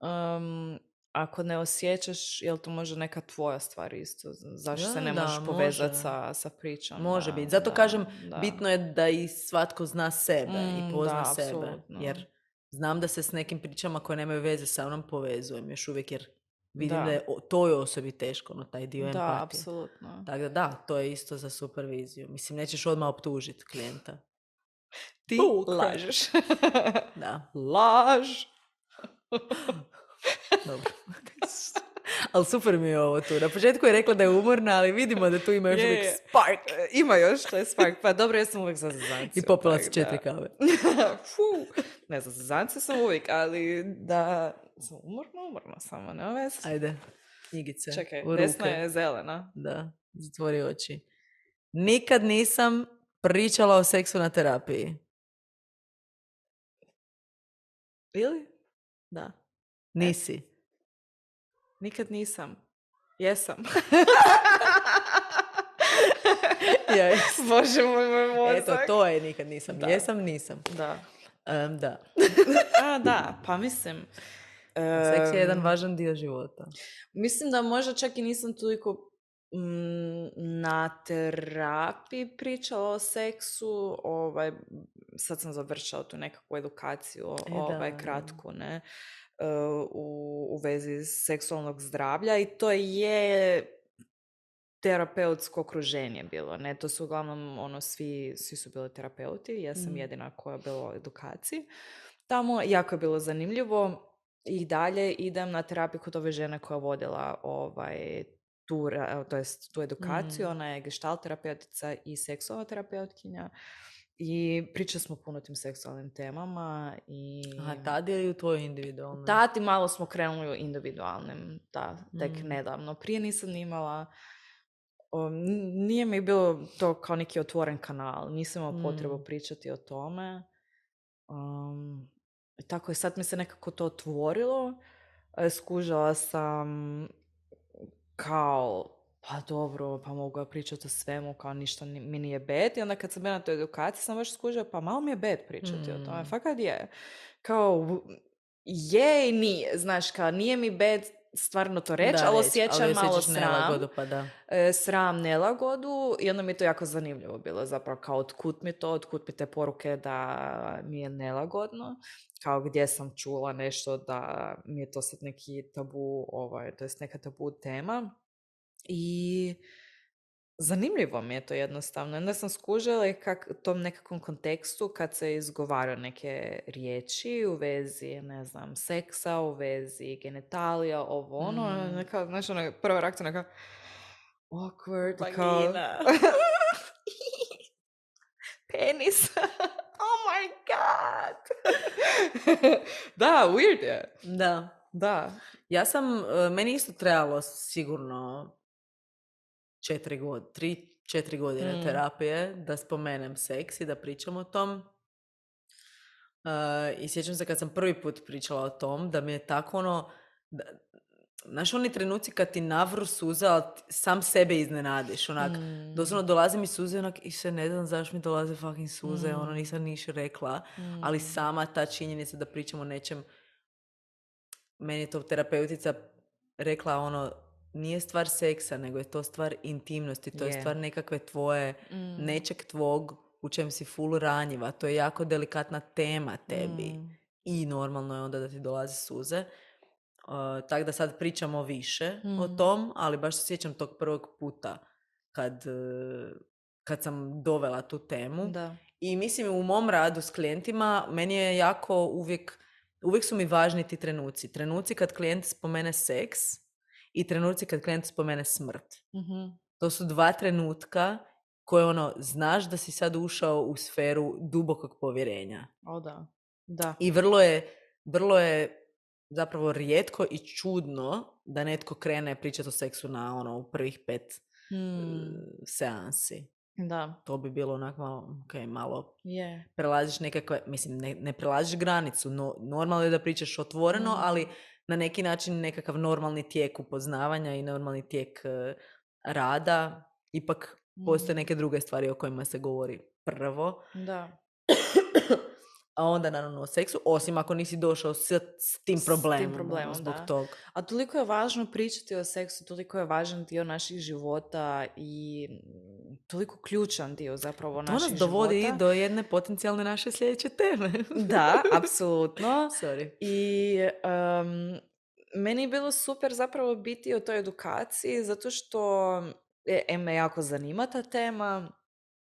um, ako ne osjećaš, je li to možda neka tvoja stvar isto? Zašto Da, se ne da, možeš povezati može. sa, sa pričom? Može Da, biti. Zato da, kažem, da. bitno je da i svatko zna sebe Mm, i pozna da, sebe. apsolutno. Jer znam da se s nekim pričama koje nemaju veze sa mnom povezujem još uvijek jer vidim da, Da. je o- toj osobi teško, no taj dio Da, empatije. apsolutno. Tako da da, to je isto za superviziju. Mislim, nećeš odmah optužiti klijenta. Ti Bull crap. lažeš. Da, Laž. dobro. Ali super mi je ovo tu. Na početku je rekla da je umorna, ali vidimo da tu ima još Je, uvijek je. spark. E, Ima još to je spark. Pa dobro, ja sam uvijek za zazancija. I popila si tak četiri da. kave. Fu. Ne, za zazancija sam uvijek, ali da sam umorna, umorna samo, nema veze. Ajde, knjigice Čekaj, u desna ruke. je zelena. Da, zatvori oči. Nikad nisam pričala o seksu na terapiji. Ili? Da. Nisi. Nikad nisam. Jesam. Ja, jesam. Bože moj, moj mozak. Eto, to je nikad nisam. Da. Jesam, nisam. Da. Em, da. A, da, pa mislim... Seks je jedan em, važan dio života. Mislim da možda čak i nisam toliko mm, na terapiji pričala o seksu, ovaj, sad sam završila tu nekakvu edukaciju, E, ovaj, da. kratku, ne, e, u, u vezi seksualnog zdravlja i to je terapeutsko okruženje bilo, ne, to su uglavnom, ono, svi, svi su bili terapeuti, ja sam Mm. jedina koja je bila u edukaciji. Tamo jako je bilo zanimljivo. I dalje idem na terapiju kod ove žene koja je vodila ovaj, tu, ra- to jest, tu edukaciju. Mm. Ona je gestalt terapeutica i seksualna terapeutkinja. I pričali smo puno o tim seksualnim temama. I Aha, tad je u tvojoj individualnoj? tad i malo smo krenuli u individualnim, da, tek Mm. nedavno. Prije nisam ni imala, o, n- nije mi bilo to kao neki otvoren kanal. Nisam imala potrebu Mm. pričati o tome. Um, i tako je, sad mi se nekako to otvorilo. E, Skužila sam kao, pa dobro, pa mogu ja pričati o svemu, kao ništa ni- mi nije bed. I onda kad sam bila na toj edukaciji sam baš skužila, pa malo mi je bed pričati o tome. Mm. Fakat je. Kao, v- je i nije. Znaš, kao nije mi bed stvarno to reći, Da, ali reći, osjećam ali malo osjećaš sram. nelagodu, pa da. E, sram, nelagodu i onda mi je to jako zanimljivo bilo zapravo kao otkud mi to, otkud mi te poruke da mi je nelagodno, kao gdje sam čula nešto da mi je to sad neki tabu, ovaj, to jest neka tabu tema i zanimljivo mi je to jednostavno. Onda sam skužila i kak, tom nekakvom kontekstu kad se izgovaraju neke riječi u vezi, ne znam, seksa, u vezi genitalija, ovo ono, Mm. neka, znaš, ono, prva reakcija neka awkward, i kao... Vagina. Penis. Oh my god. Da, weird je. Da. Da. Ja sam, e, meni isto trebalo sigurno četiri godine, tri, četiri godine Mm. terapije da spomenem seks i da pričam o tom. E, I sjećam se kad sam prvi put pričala o tom, da mi je tako ono, da, znaš oni trenuci kad ti navru suze, ali ti sam sebe iznenadiš, onak, Mm. doslovno dolaze mi suze, onak, i se ne znam zašto mi dolaze fucking suze, Mm. ono nisam niš rekla, Mm. ali sama ta činjenica da pričam o nečem, meni je to terapeutica rekla ono, nije stvar seksa, nego je to stvar intimnosti, to je Je. stvar nekakve tvoje, Mm. nečeg tvog u čem si full ranjiva, to je jako delikatna tema tebi Mm. i normalno je onda da ti dolaze suze. Uh, tako da sad pričamo više o Mm. tom, ali baš se sjećam tog prvog puta kad, uh, kad sam dovela tu temu. Da. I mislim u mom radu s klijentima meni je jako uvijek, uvijek su mi važni ti trenuci. Trenuci kad klijent spomene seks i trenuci kad klijent spomene smrt. Mhm. To su dva trenutka koje ono, znaš da si sad ušao u sferu dubokog povjerenja. O da. Da. I vrlo je, vrlo je zapravo rijetko i čudno da netko krene pričati o seksu na ono u prvih pet Hmm. seansi. Da. To bi bilo onako malo, ok, malo Je. prelaziš nekakve, mislim, ne, ne prelaziš granicu, no, normalno je da pričaš otvoreno, Mm. ali na neki način nekakav normalni tijek upoznavanja i normalni tijek uh, rada, ipak postoje Mm. neke druge stvari o kojima se govori prvo, Da. a onda naravno o seksu, osim ako nisi došao s, s tim S problemom, tim problemom, ono, zbog da. tog. A toliko je važno pričati o seksu, toliko je važan dio naših života i mm, toliko ključan dio zapravo To naših nas dovodi života. do jedne potencijalne naše sljedeće teme. Da, apsolutno. Sorry. I um, meni je bilo super zapravo biti u toj edukaciji zato što e, em me jako zanima ta tema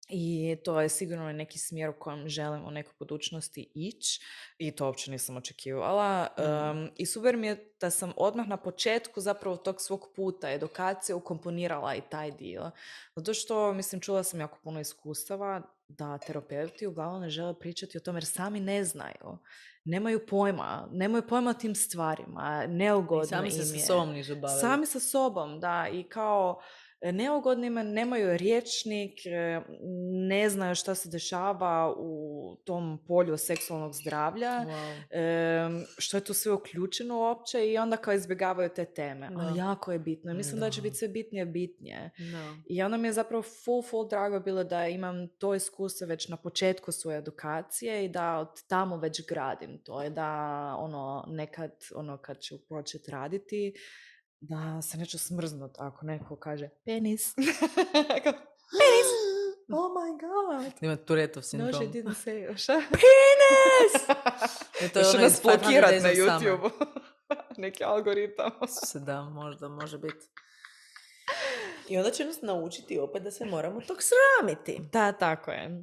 i to je sigurno neki smjer u kojem želim u nekoj budućnosti ići i to uopće nisam očekivala. Mm. Um, I super mi je da sam odmah na početku zapravo tog svog puta edukacije ukomponirala i taj dio. Zato što, mislim, čula sam jako puno iskustava da terapeuti uglavnom ne žele pričati o tome jer sami ne znaju. Nemaju pojma, nemaju pojma o tim stvarima, neugodno I sami se im sa je. sobom nisu bavili. Sami sa sobom, da, i kao neugodnima, nemaju rječnik, ne znaju šta se dešava u tom polju seksualnog zdravlja, Wow. što je tu sve uključeno uopće i onda kao izbjegavaju te teme. Da. Ali jako je bitno. Mislim da, Da. će biti sve bitnije bitnije. Da. I onda mi je zapravo full, full drago bilo da imam to iskustvo već na početku svoje edukacije i da od tamo već gradim to. Je da ono, nekad, ono, kad ću početi raditi, da se neću smrznut ako neko kaže penis. Penis! Oh my god! Ima Turetov sindrom. No, she didn't say. Šta? Penis! E, to je Još ono nas iz five hundred blokirat Days na of Summer. YouTube. Neki algoritam. Se da, možda, može biti. I onda će nas naučiti opet da se moramo tog sramiti. Da, tako je.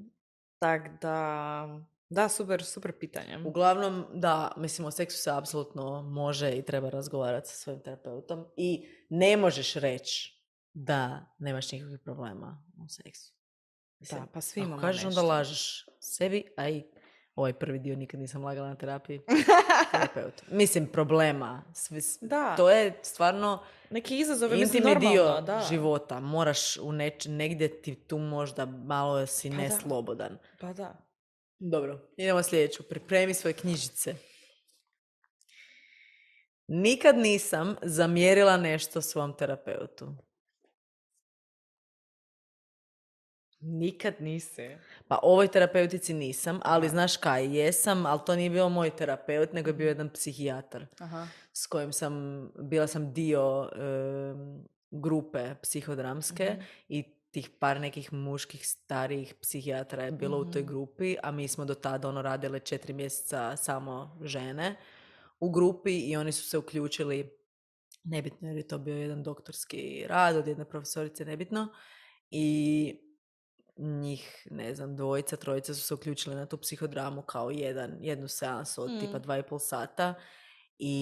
Tak da... Da, super, super pitanje. Uglavnom, da, mislim, o seksu se apsolutno može i treba razgovarati sa svojim terapeutom i ne možeš reći da nemaš nikakvih problema u seksu. Mislim, Da, pa svi ako imamo kažeš, nešto. onda lažeš sebi, a i ovaj prvi dio nikad nisam lagala na terapiji. Terapeutu. Mislim, problema. Svi, Da. To je stvarno Neki izazov je, mislim, intimni dio normalno, da. života. Moraš u neč, negdje ti tu možda malo si Pa da. neslobodan. Pa da. Dobro, idemo sljedeću. Pripremi svoje knjižice. Nikad nisam zamjerila nešto svom terapeutu. Nikad nisi. Pa ovoj terapeutici nisam, ali Aha. znaš kaj, jesam, ali to nije bio moj terapeut, nego je bio jedan psihijatar Aha. s kojim sam, bila sam dio um, grupe psihodramske Mhm. i tih par nekih muških starijih psihijatara je bilo u toj Mhm. grupi, a mi smo do tada ono radile četiri mjeseca samo žene u grupi i oni su se uključili, nebitno jer je to bio jedan doktorski rad od jedne profesorice, nebitno, i njih, ne znam, dvojica, trojica su se uključili na tu psihodramu kao jedan, jednu seansu od Mm. tipa dva i pol sata i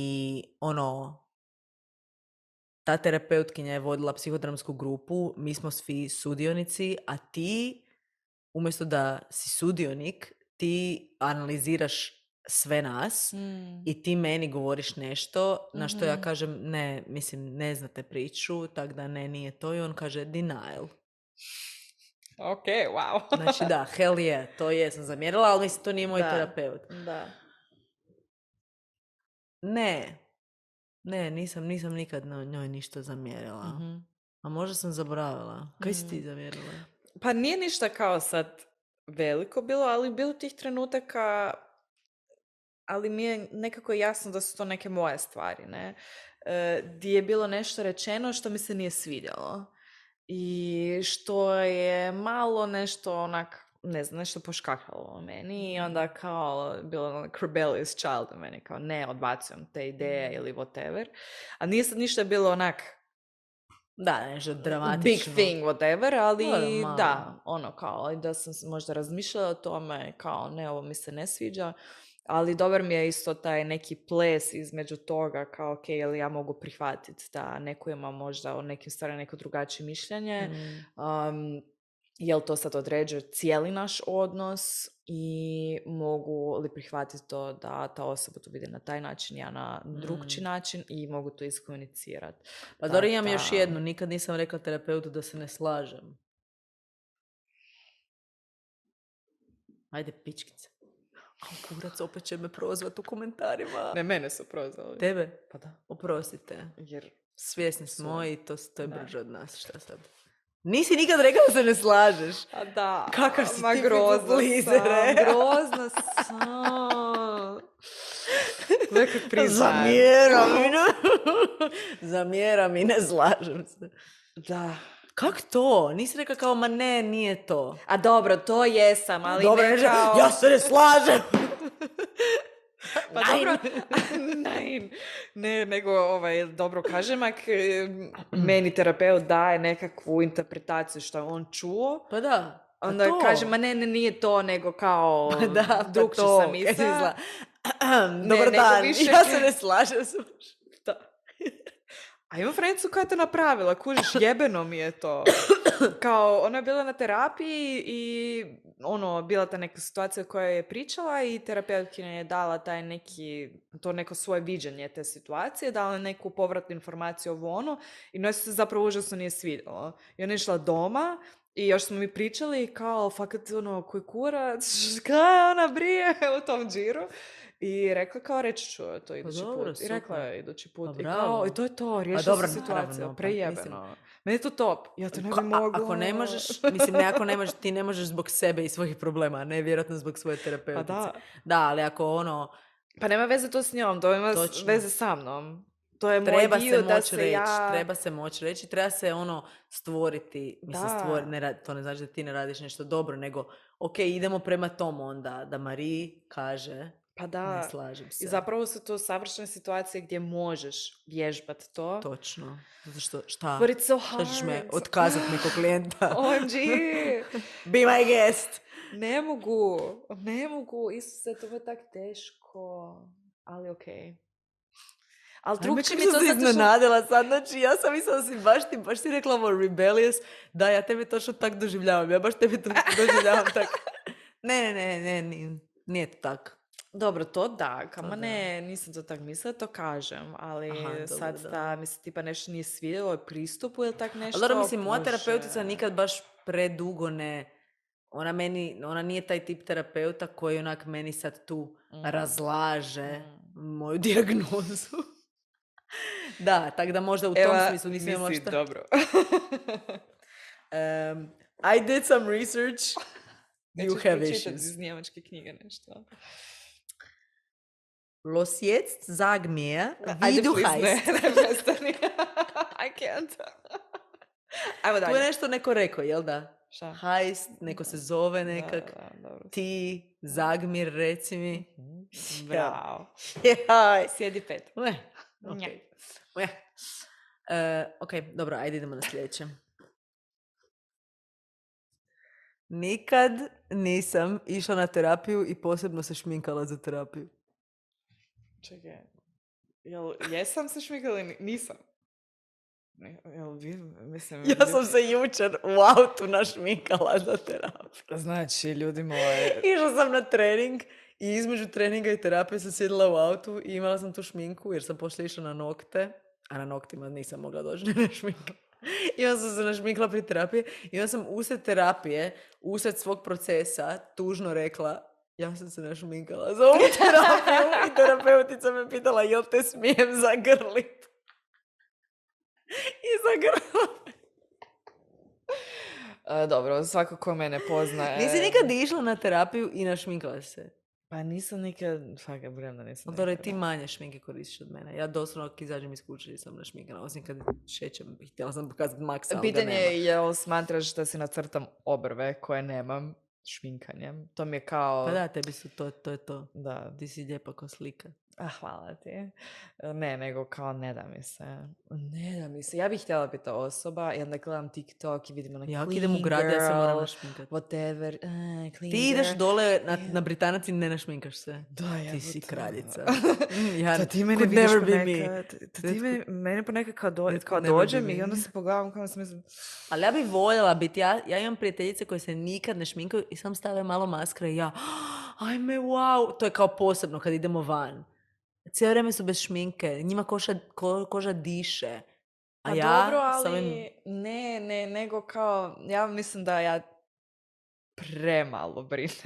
ono, ta terapeutkinja je vodila psihodramsku grupu, mi smo svi sudionici, a ti, umjesto da si sudionik, ti analiziraš sve nas Mm. i ti meni govoriš nešto na što ja Mhm. kažem, ne, mislim, ne znate priču, tak da ne, nije to, i on kaže denial. Ok, wow. Znači da, hell yeah, to je, sam zamjerila, ali mislim, to nije moj Da. terapeut. Da. Ne, ne, nisam, nisam nikad na njoj ništa zamjerila. Mhm. A možda sam zaboravila. Kaj si ti Mm. zamjerila? Pa nije ništa kao sad veliko bilo, ali bilo tih trenutaka, ali mi je nekako jasno da su to neke moje stvari, ne? E, di je bilo nešto rečeno što mi se nije svidjelo. I što je malo nešto onak, ne znam, nešto poškakalo u meni i onda kao bilo onak rebellious child u meni, kao ne, odbacujem te ideje ili whatever. A nije sad ništa bilo onak Da, nešto dramatično. big thing, whatever, ali Dobro, da, malo. ono kao, da sam možda razmišljala o tome, kao ne, ovo mi se ne sviđa, ali dobar mi je isto taj neki ples između toga, kao ok, jel ja mogu prihvatiti da neko ima možda o nekim stvarima neko drugačije mišljenje, Mm. um, jel to sad određuje cijeli naš odnos i mogu li prihvatiti to da ta osoba to vidi na taj način, ja na drugčiji Mm. način i mogu to iskomunicirati. Pa Da, dobro, imam da. još jednu. Nikad nisam rekla terapeutu da se ne slažem. Ajde, pičkice. A kurac opet će me prozvat u komentarima. Ne, mene su prozvali. Tebe? Pa da. Oprostite. Jer Svjesni smo Su. i to, to je Da. brže od nas. Šta sad? Nisi nikad rekla da se ne slažeš. A da. Kakav si ma ti grozna people pleaser, sam, e? grozna sam. Nekak priznajem. Zamjeram i ne... Zamjeram i ne slažem se. Da. Kak to? Nisi rekla kao, ma ne, nije to. A dobro, to jesam, ali Dobro, ne ne, kao... ja se ne slažem. Pa dobro, ne, ne, nego ovaj, dobro kažem, ak e, meni terapeut daje nekakvu interpretaciju što on čuo, Pa da. pa onda to. kaže, ma ne, ne, nije to, nego kao Pa da, pa drugčije to, sam kaj si mislila. zla. Ne, Dobar nego dan, više- ja se ne slažem s Da. A imam frencu koja je to napravila, kužiš, jebeno mi je to. Kao, ona je bila na terapiji i ono, bila ta neka situacija koja je pričala i terapeutkinja je dala taj neki, to neko svoje viđenje te situacije, dala neku povratnu informaciju ovo ono i njoj se zapravo užasno nije svidjelo. I ona je išla doma i još smo mi pričali kao, fakat ono, koji kurac, kaj ona brije u tom džiru. I rekla kao, reći ću to idući dobro, put. I rekla super. je idući put. Pa I bravo. kao, i to je to, riješila dobro, se situacija, naravno, pa prejebeno. Meni je to top, ja to ne bi Ko- a- mogla. Ako ne možeš, mislim, ne ako ne možeš, ti ne možeš zbog sebe i svojih problema, a ne vjerojatno zbog svoje terapeutice. Pa da. Da, ali ako ono, Pa nema veze to s njom, to ima s- Točno. veze sa mnom. To je treba moj dio se da moći se reći, ja... treba se moći reći, treba se ono stvoriti, mislim Da. stvori, ne radi, to ne znači da ti ne radiš nešto dobro, nego ok, idemo prema tom onda, da Mariji kaže, Pa da. ne slažem se. I zapravo su to savršene situacije gdje možeš vježbati to. Točno. Zato što, šta? But it's so Šta ćeš me hard. otkazat neko klijenta? O M G! Be my guest! Ne mogu, ne mogu, Isuse, to je tak teško, ali okej. Ali drugčije mi je to se zato što... iznenadila sad, znači ja sam mislila da si baš ti, baš si rekla ovo rebellious, da ja tebe točno tak doživljavam, ja baš tebe to doživljavam tak. Ne, ne, ne, ne, nije, nije to tak. Dobro, to da, kama To da. ne, nisam to tak mislila, to kažem, ali Aha, dobro, sad da. da mi se tipa nešto nije svidjelo pristupu ili tak nešto. Ali dobro, mislim, moja Bože. terapeutica nikad baš predugo ne, ona meni, ona nije taj tip terapeuta koji onak meni sad tu Mm. razlaže Mm. moju dijagnozu. Da, tako da možda u tom Eva, smislu nisam imala nisi šta. dobro. Um, I did some research. You Nećeš have pročitati issues. iz njemačke knjige nešto. Los jetzt sag mir, Ajde, wie du please, ne, heißt. ne, prestani. I can't. Ajmo Tu je dalje. nešto neko rekao, jel da? Šta? Heißt, neko se zove Da, nekak. da, dobro. Ti, Zagmir, reci mi. Bravo. Jaj. Sjedi pet. Ue, ok. Nja. Ue. E, ok, dobro, ajde idemo na sljedeće. Nikad nisam išla na terapiju i posebno se šminkala za terapiju. Čekaj. Jel, jesam se šmikala ili ni- nisam? Ne, Jel, vi, mislim... Ja sam se jučer u autu našminkala za terapiju. Znači, ljudi moji... Išla sam na trening i između treninga i terapije sam sjedila u autu i imala sam tu šminku jer sam poslije išla na nokte, a na noktima nisam mogla doći na šminku. I onda sam se našminkla pri terapiji i onda sam usred terapije, usred svog procesa, tužno rekla ja sam se našminkala za ovu terapiju i terapeutica me pitala jel te smijem zagrlit. I zagrla. E, dobro, svako ko mene poznaje... Nisi nikad išla na terapiju i našminkala se? Pa nisam nikad... Fakat, budem da nisam Dobro, nikad. ti manje šminke koristiš od mene. Ja doslovno ako izađem iz kuće nisam našminkana, osim kad šećem. Htjela sam pokazati maksa, ali ga Pitanje nema. je jel smatraš da si nacrtam obrve koje nemam šminkanjem. To mi je kao... Pa da, tebi su to, to je to. Da. Ti si lijepa ko slika. A, hvala ti. Ne, nego kao ne da mi se. Ne da mi se. Ja bih htjela biti ta osoba i onda gledam TikTok i vidim ona Ja clean idem u grad, ja se moram girl, našminkati. whatever, uh, clean Ti ideš girl. dole na, na Britanac i ne našminkaš se. Da, ja Ti si to. kraljica. Mm, ja, To ti mene could vidiš never be me. ponekad. To ti mene, mene ponekad kao, do, That kao could never be dođem me. i onda se pogledam kao sam mislim... Ali ja bih voljela biti, ja, ja imam prijateljice koje se nikad ne šminkaju i sam stave malo maskara i ja, ajme, wow, to je kao posebno kad idemo van. Cijelo vrijeme su bez šminke, njima koša, ko, koža diše. A Pa ja dobro, ali samim... ne, ne, nego kao, ja mislim da ja premalo brinem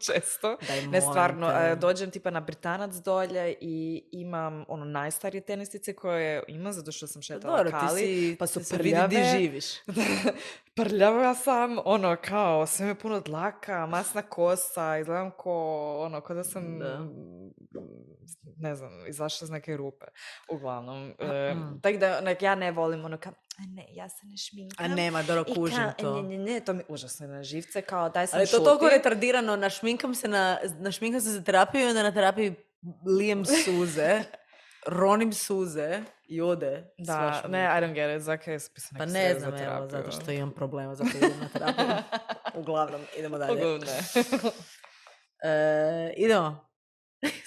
često. Daj, Ne, stvarno, te. dođem tipa na Britanac dolje i imam ono najstarije tenisice koje imam, zato što sam šetala Dobro, Kali, si, pa su se prljave. vidi di živiš. Prljava sam, ono kao, sve me puno dlaka, masna kosa, izgledam ko, ono, kao da sam, da. ne znam, izašla iz neke rupe, uglavnom. E, tako da, nek, ja ne volim ono kao, a ne, ja se ne šminkam. A nema, dobro, kužim ka, to. Ne, ne, ne, to mi užasno na živce, kao daj sam Ali to šuti. toliko retardirano, našminkam se, na, našminkam se za terapiju i onda na terapiji lijem suze, ronim suze i ode. Da, ne, I don't get it, zakaj je spisano Pa ne znam, evo, zato što imam problema, zato idem na terapiju. Uglavnom, idemo dalje. Uglavnom, ne. e, idemo.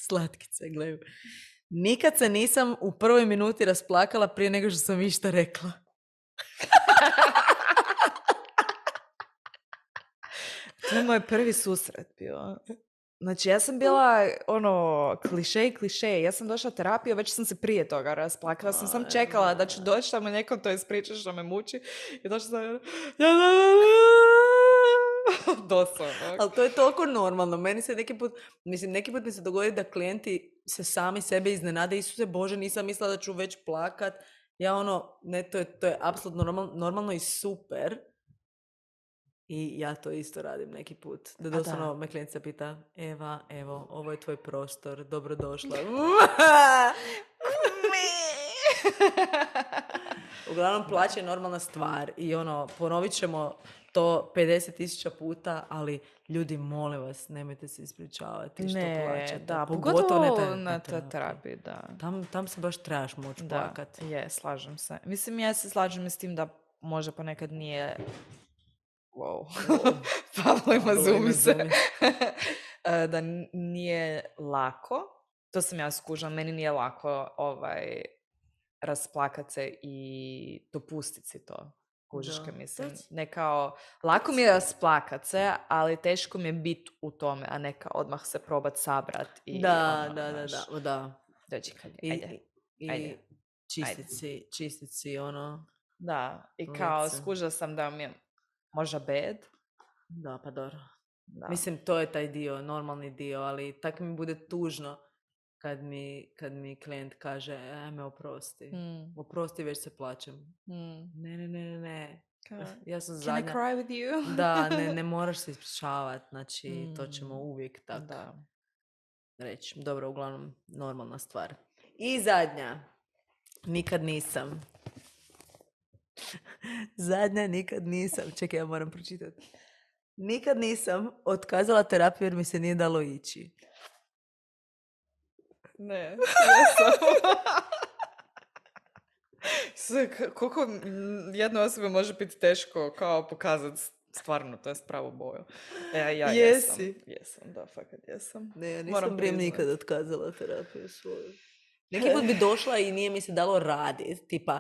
Slatkice, gledaju. Nikad se nisam u prvoj minuti rasplakala prije nego što sam išta rekla. To je moj prvi susret bio. Znači, ja sam bila, ono, kliše, kliše. Ja sam došla u terapiju, već sam se prije toga rasplakala. Sam sam čekala da ću doći tamo nekom to ispričati što me muči. I došla sam... Doslovno. Ali to je toliko normalno. Meni se neki put, mislim, neki put mi se dogodi da klijenti se sami sebe iznenade. Isuse Bože, nisam mislila da ću već plakat. Ja ono, ne, to je, to je apsolutno normalno, normalno i super. I ja to isto radim neki put. Da doslovno me klijentica pita, Eva, evo, ovo je tvoj prostor, dobrodošla. Uglavnom, plaća je normalna stvar i ono, ponovit ćemo to pedeset tisuća puta, ali ljudi, molim vas, nemojte se ispričavati što ne, plaćate. Da, pogotovo, pogotovo ne na terapiji, terapiji da. Tam, tam se baš trebaš moći plakati. Je, slažem se. Mislim, ja se slažem s tim da možda ponekad nije... Wow. Pavlo ima zumi se. Da nije lako. To sam ja skužila. Meni nije lako ovaj, rasplakat se i dopustit si to. Kužiške, mislim. Ne kao, lako mi je rasplakat se, ali teško mi je biti u tome, a ne kao odmah se probat sabrat. I da, ono, da, da, da, da. Dođi kad je. Ajde. I, Ajde. čistit si, čistit si ono. Da, i kao skužila sam da mi je možda bed. Da, pa dobro. Da. Mislim, to je taj dio, normalni dio, ali tako mi bude tužno kad mi, kad mi klijent kaže, ajme, oprosti. Mm. Oprosti, već se plaćem. Mm. Ne, ne, ne, ne, ne. Ja sam zadnja. Can I cry with you? Da, ne, ne moraš se ispričavati, znači mm. to ćemo uvijek tako da. reći. Dobro, uglavnom, normalna stvar. I zadnja. Nikad nisam. Zadnja, nikad nisam. Čekaj, ja moram pročitati. Nikad nisam otkazala terapiju jer mi se nije dalo ići. Ne, jesam. Sve, koliko jednoj osobi može biti teško kao pokazati stvarno, to je pravu boju. E, ja Jesi? Jesam, jesam, da, fakat jesam. Ne, ja nisam prije nikad otkazala terapiju svoju. Neki put bi došla i nije mi se dalo raditi, tipa,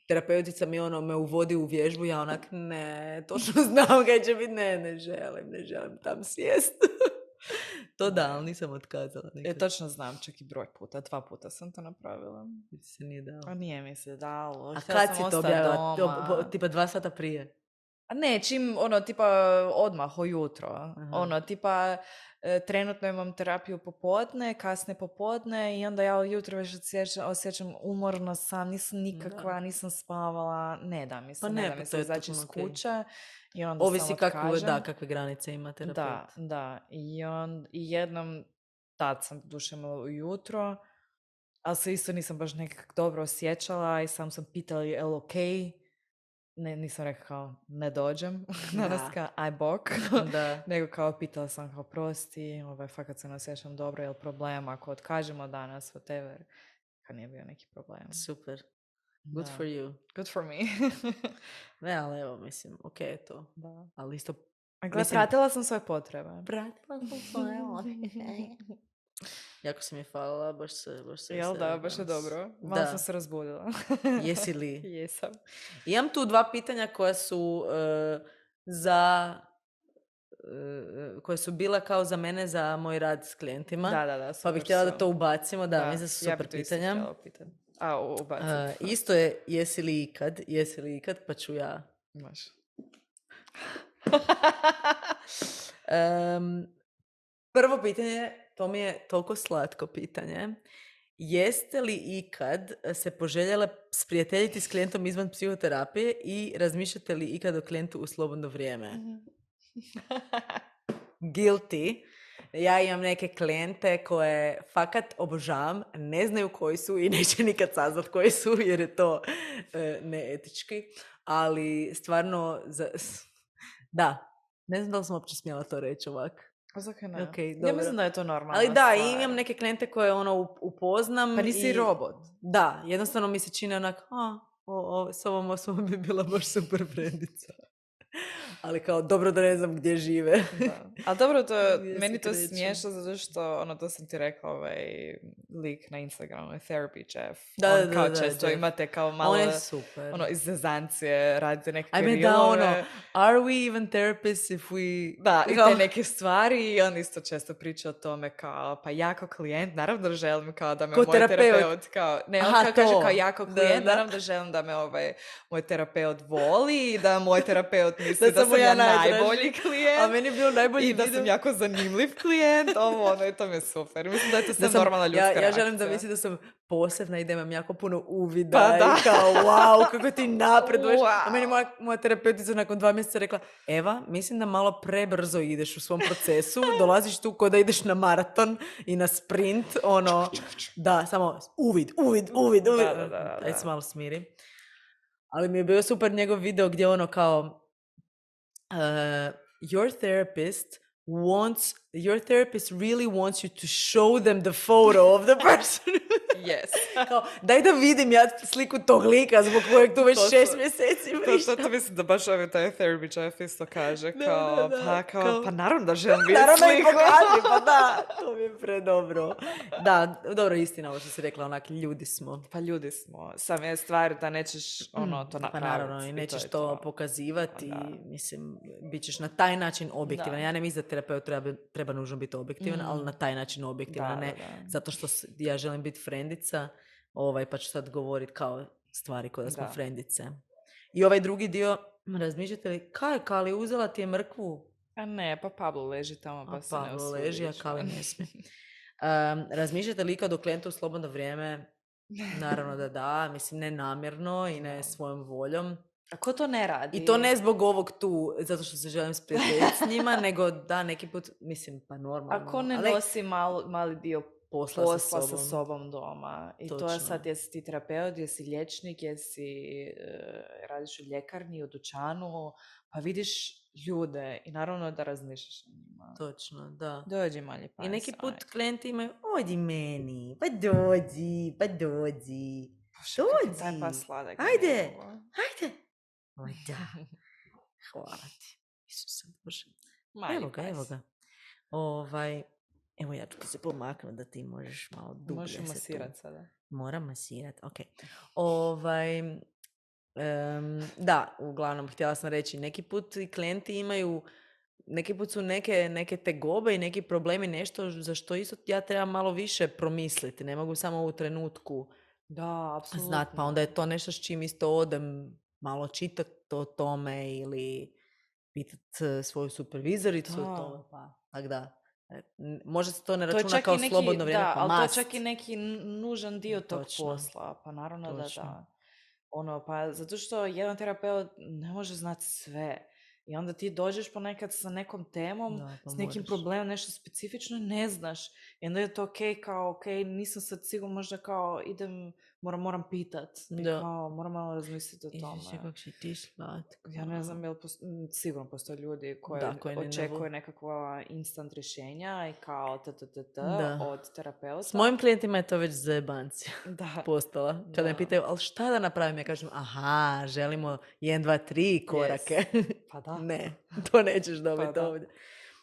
terapeutica mi ono me uvodi u vježbu, ja onak, ne, točno znam kaj će biti, ne, ne želim, ne želim tam sjest. To da, ali nisam otkazala. Nikad. E, točno znam, čak i broj puta, dva puta sam to napravila. Ti se nije dalo. A nije mi se dalo. A kad si to objavila? Tipa dva sata prije? A ne, čim, ono, tipa odmah, ujutro. Aha. Ono, tipa, e, trenutno imam terapiju popodne, kasne popodne i onda ja ujutro već osjećam, osjećam umorno sam, nisam nikakva, da. nisam spavala, ne da mi se, pa ne, ne da mi se izaći iz kuće. Okay. I onda ovisi kakve, da, kakve granice ima terapeut. Da, da. I, on, i jednom, tad sam duše imala ujutro, ali se isto nisam baš nekako dobro osjećala i sam sam pitala je li okej. ne, nisam rekla kao ne dođem, danas Da. kao aj bok, Da. nego kao pitala sam kao prosti, ovaj, fakat se ne osjećam dobro, je li problem ako otkažemo danas, whatever. Kad nije bio neki problem. Super. Good Da. for you. Good for me. Ne, ali evo, mislim, ok je to. Da. Ali isto... A gle, Mislim- pratila sam svoje potrebe. Pratila sam svoje Jako si mi falila, baš se, baš se Jel da, veselim baš je danas. dobro. Malo Da. sam se razbudila. Jesi li? Jesam. Imam tu dva pitanja koja su uh, za... uh, koje su bila kao za mene za moj rad s klijentima. Da, da, da. Pa super bih htjela su. da to ubacimo. Da, mislim da su ja super bi to isto pitanja. htjela pitati. A, u- ubaciti. Uh, isto je jesi li ikad, jesi li ikad, pa ću ja. Može. Um, prvo pitanje, to mi je toliko slatko pitanje. Jeste li ikad se poželjela sprijateljiti s klijentom izvan psihoterapije i razmišljate li ikad o klijentu u slobodno vrijeme? Guilty. Ja imam neke klijente koje fakat obožavam, ne znaju koji su i neće nikad saznat koji su jer je to e, neetički, ali stvarno, za, da, ne znam da li sam uopće smjela to reći ovak. A zakaj ne? Okay, ja dobro. mislim da je to normalna Ali da, stvar. i imam neke klijente koje ono up- upoznam. Pa nisi i, robot. Da, jednostavno mi se čini onak, a, o, o, s ovom osobom bi bila baš super frendica. Ali kao, dobro da ne znam gdje žive. Da. Ali dobro, to, Gdje se meni to kreću. smiješno zato što, ono, to sam ti rekla, ovaj lik na Instagramu, Therapy Jeff. Da, On da, kao da, često Jeff. imate kao malo, On je super. ono, iz zezancije, radite neke Ajme rilove. da, ono, are we even therapists if we... Da, i Kao- te neke stvari i on isto često priča o tome kao, pa ja kao klijent, naravno da želim kao da me Ko moj terapeut. terapeut, kao, ne, on Aha, kao kaže to. kao ja kao Da, klijent, da. naravno da želim da me ovaj, moj terapeut voli i da moj terapeut misli Da da, sam mu sam ja ja najdraži. najbolji klijent. A meni je bio najbolji I da video. sam jako zanimljiv klijent, ovo, ono, i to mi je super. Mislim da je to sve Da sam- normalna ljudska ja, reakcija. ja želim da misli da sam posebna i da imam jako puno uvida Pa da. i kao wow, kako ti napreduješ. Wow. A meni moja, moja terapeutica nakon dva mjeseca rekla, Eva, mislim da malo prebrzo ideš u svom procesu, dolaziš tu ko da ideš na maraton i na sprint, ono, da, samo uvid, uvid, uvid, uvid. Da, da, da, Ajde da. se malo smiri. Ali mi je bio super njegov video gdje ono kao uh, your therapist wants your therapist really wants you to show them the photo of the person. Yes. Kao, daj da vidim ja sliku tog lika zbog kojeg tu već To su- šest mjeseci To, vrištam. to, to mislim da baš ovaj taj Therapy Jeff isto kaže, Da, kao, da, da, pa, kao, kao- pa naravno da želim vidjeti Naravno i sliku. pokaži, pa da, to mi je predobro. Da, dobro, istina ovo što si rekla, onak, ljudi smo. Pa ljudi smo, sam je stvar da nećeš ono to Pa napraviti. naravno, i to nećeš je to, pokazivati, Pa da. mislim, bit ćeš na taj način objektivan. Da. Ja ne mislim da terapeut treba, treba nužno biti objektivan, ali na taj način objektivan, Da, a ne da, da. zato što s- ja želim biti frendica, ovaj, pa ću sad govoriti kao stvari koje da smo Da. frendice. I ovaj drugi dio, razmišljate li, kaj, Kali, uzela ti je mrkvu? A ne, pa Pablo leži tamo, pa A se ne Pavlo usudi leži, a ići Kali van. ne smije. Um, razmišljate li ikad o klijentu u slobodno vrijeme? Naravno da da, mislim ne namjerno i ne svojom voljom. A ko to ne radi? I to ne zbog ovog tu, zato što se želim sprijateljiti s njima, nego da, neki put, mislim, pa normalno. Ako ne ali nosi mal, mali dio posla, posla sa sa sobom. sobom doma. I to je Točno. sad, jesi ti terapeut, jesi liječnik, jesi e, radiš u ljekarni, u dućanu, pa vidiš ljude i naravno da razmišljaš o njima. Točno, da. Dođi mali pa I neki saj. put klijenti imaju, odi meni, pa dođi, pa dođi. Bože, kak je dođi. taj pas sladak. Ajde. je ovo. Hajde. O, da. Hvala ti. Isuse Bože. Mali Evo ga, pas. evo ga. Ovaj, evo ja ću ti se pomaknuti da ti možeš malo dublje Možeš se tu- masirat sada. Moram masirat, ok. Ovaj, em, da, uglavnom, htjela sam reći, neki put i klijenti imaju, neki put su neke, neke tegobe i neki problemi, nešto za što isto ja trebam malo više promisliti. Ne mogu samo u trenutku Da, apsolutno. znat, pa onda je to nešto s čim isto odem malo čitat o tome ili pitat eh, svoju supervizoricu o Da. tome, pa tak da. e, n- Možda se to ne To je računa čak kao i neki, slobodno vrijeme, da, pa ali to je must. čak i neki n- nužan dio tog Točno. posla. Pa naravno Točno. da da. Ono, pa zato što jedan terapeut ne može znati sve. I onda ti dođeš ponekad sa nekom temom, Da, pa s nekim moraš. problemom, nešto specifično ne znaš. I onda je to ok, kao ok, nisam sad sigurno, možda kao idem moram, moram pitat. I Da. kao, moram malo razmisliti o tome. Isuse, kako si ti slatka. Ja ne znam, jel posto- m, sigurno postoje ljudi koji Da, koji ni ne očekuju vole. nekakva instant rješenja i kao t, t, t, t Da. od terapeuta. S mojim klijentima je to već zajebancija Da. postala. Kada me Da. pitaju, ali šta da napravim? Ja kažem, aha, želimo jedan, dva, tri korake. Pa da. Ne, to nećeš dobiti Pa da. ovdje.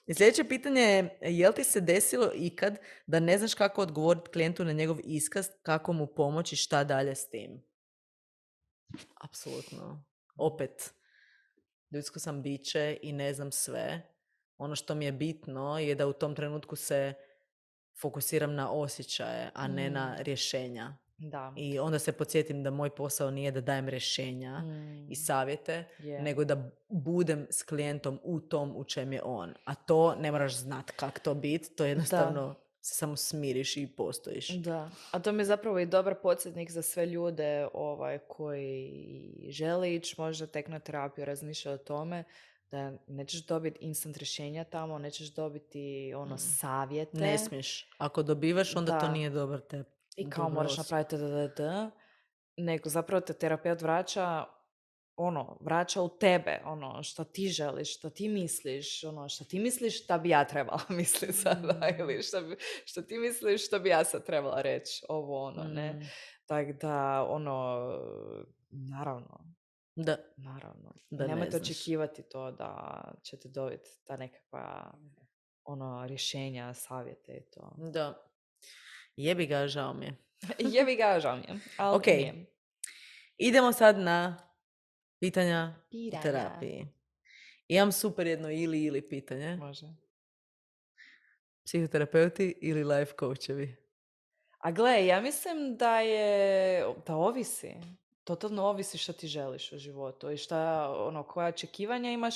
I sljedeće pitanje je, jel ti se desilo ikad da ne znaš kako odgovoriti klijentu na njegov iskaz, kako mu pomoći, šta dalje s tim? Apsolutno. Opet, ljudsko sam biće i ne znam sve. Ono što mi je bitno je da u tom trenutku se fokusiram na osjećaje, a ne Mm. na rješenja. Da. I onda se podsjetim da moj posao nije da dajem rješenja Mm. i savjete, Je. nego da budem s klijentom u tom u čem je on. A to ne moraš znat kako to biti, to jednostavno se samo smiriš i postojiš. Da, a to mi je zapravo i dobar podsjetnik za sve ljude ovaj, koji žele ići možda tek na terapiju, razmišljaju o tome da nećeš dobiti instant rješenja tamo, nećeš dobiti ono savjete. Ne smiješ. Ako dobivaš, onda to Da. nije dobar te. I kao dobra moraš osoba. napraviti da, da, da, nego zapravo te terapeut vraća ono, vraća u tebe, ono, što ti želiš, što ti misliš, ono, što ti misliš šta bi ja trebala misliti sada, ili što, bi, što ti misliš što bi ja sad trebala reći, ovo, ono, ne. Mm. Tako da, ono, naravno, Da. naravno. Da ne Nemojte znaš. očekivati to da ćete dobiti ta nekakva, ono, rješenja, savjete i to. Da. Jebi ga, žao mi je. Jebi ga, žao mi je, ali Ok. nije. Idemo sad na pitanja o Pitanja. terapiji. Imam super jedno ili ili pitanje. Može. Psihoterapeuti ili life coachevi? A gle, ja mislim da je, da ovisi. Totalno ovisi što ti želiš u životu i šta, ono, koja očekivanja imaš.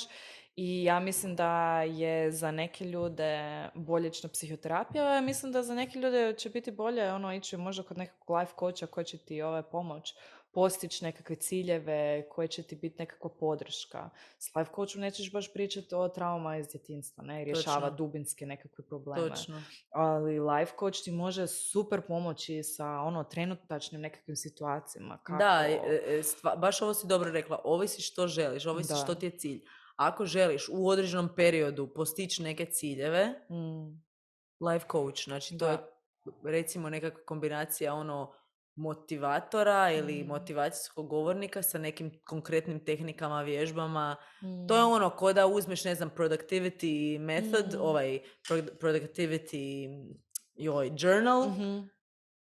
I ja mislim da je za neke ljude bolje ići na psihoterapiju, a ja mislim da za neke ljude će biti bolje ono, ići možda kod nekog life coacha koji će ti ovaj, pomoć postići nekakve ciljeve, koje će ti biti nekakva podrška. S life coachom nećeš baš pričati o trauma iz djetinjstva, ne, i rješava Točno. dubinske nekakve probleme. Točno. Ali life coach ti može super pomoći sa ono trenutačnim nekakvim situacijama. Kako... Da, e, e, stva, baš ovo si dobro rekla. Ovisi što želiš, ovisi Da. što ti je cilj. Ako želiš u određenom periodu postići neke ciljeve, Mm. life coach, znači to Da. je recimo nekakva kombinacija ono motivatora ili Mm. motivacijskog govornika sa nekim konkretnim tehnikama, vježbama. Mm. To je ono ko da uzmeš, ne znam, productivity method, Mm. ovaj pro- productivity joj, journal, Mhm.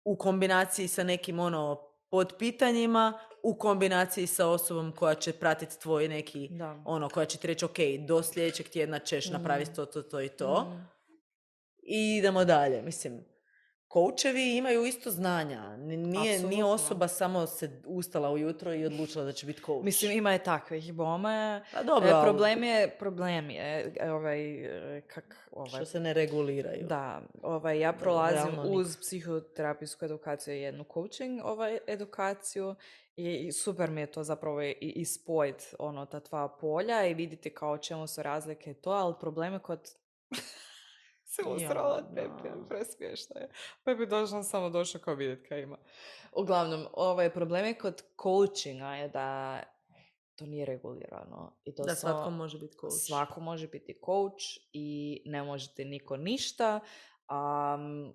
u kombinaciji sa nekim ono podpitanjima, u kombinaciji sa osobom koja će pratiti tvoj neki, Da. ono, koja će ti reći, ok, do sljedećeg tjedna ćeš Mhm. napraviti to, to, to i to. Mm. I idemo dalje. Mislim, koučevi imaju isto znanja. N- Nije, nije Apsolutno. osoba samo se ustala ujutro i odlučila da će biti kouč. Mislim, ima je takvih bome. Pa dobro, E, ali problem je, problem je, e, ovaj, e, kak, ovaj, što se ne reguliraju. da, ovaj, ja prolazim realno nikako. uz psihoterapijsku edukaciju i jednu coaching ovaj, edukaciju i, i super mi je to zapravo i, i spojit ono, ta dva polja i vidjeti kao o čemu su razlike i to, ali problem je kod... se usrala od Ja, Pepe, da. presmiješno je. Pepe došla samo došla kao vidjeti kaj ima. Uglavnom, ovaj problem je kod coachinga je da to nije regulirano. I to Da samo- svatko može biti coach. Svako može biti coach i ne možete niko ništa. Um,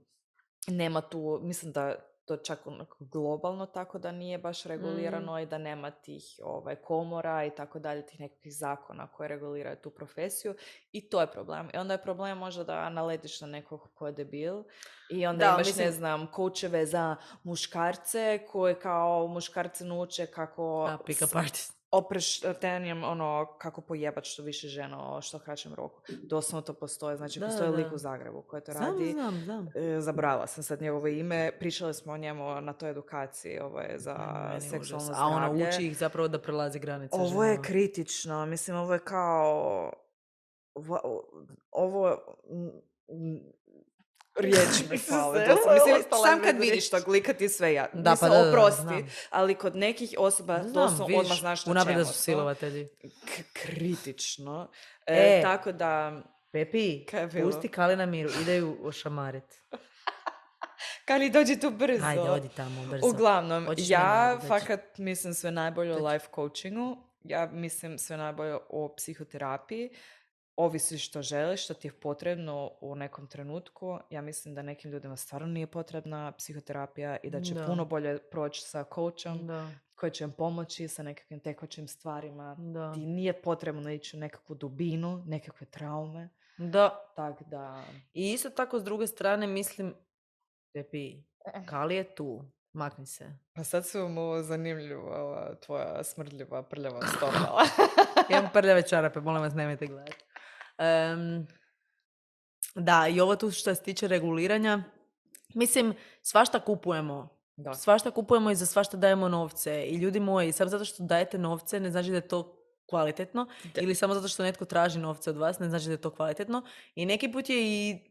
nema tu, mislim da to čak onako globalno tako da nije baš regulirano i da nema tih ovaj, komora i tako dalje, tih nekakvih zakona koje reguliraju tu profesiju i to je problem. I onda je problem možda da naletiš na nekog ko je debil i onda Da, imaš, mislim- ne znam, koučeve za muškarce koje kao muškarce nuče kako A, pick up artist. opreš tenjem ono kako pojebat što više žena o što kraćem roku. Doslovno to postoje. Znači, Da, postoji da. lik u Zagrebu koji to Znam, radi. znam, znam. E, zabrala sam sad njegovo ime. Pričali smo o njemu na toj edukaciji ovaj, za Meni je seksualno užas. zdravlje. A ono uči ih zapravo da prelazi granice Ovo je ženama. kritično. Mislim, ovo je kao... Ovo... ovo mm, mm, riječi mi fale. Isuse, doslovno. ovo je Mislim, ostala sam bez kad vidiš riječi. tog lika ti sve ja. Da, Mislim, pa da, da, da, oprosti. znam. Ali kod nekih osoba Znam, doslovno vidiš, odmah znaš na unaprijed da čemu su su. silovatelji. K- kritično. E, E. tako da... Pepi, Kaj je bilo? pusti Kali na miru, ideju ošamarit. Kali, dođi tu brzo. Ajde, odi tamo brzo. Uglavnom, Hoćeš, ne ja mogu doći. fakat mislim sve najbolje o Dođi. life coachingu. Ja mislim sve najbolje o psihoterapiji. Ovisi što želiš, što ti je potrebno u nekom trenutku. Ja mislim da nekim ljudima stvarno nije potrebna psihoterapija i da će Da. puno bolje proći sa coachom Da. koji će im pomoći sa nekakvim tekućim stvarima. Da. Ti nije potrebno ići u nekakvu dubinu, nekakve traume. Da. Tak da... I isto tako s druge strane mislim, Pepi, Kali je tu, makni se. Pa sad su mu zanimljiva ova tvoja smrdljiva, prljava stopala. Imam prljave čarape, molim vas, nemojte gledati. Um, da, i ovo tu što se tiče reguliranja, mislim, svašta kupujemo. Da. Svašta kupujemo i za svašta dajemo novce. I ljudi moji, samo zato što dajete novce ne znači da je to kvalitetno. Da. Ili samo zato što netko traži novce od vas ne znači da je to kvalitetno. I neki put je i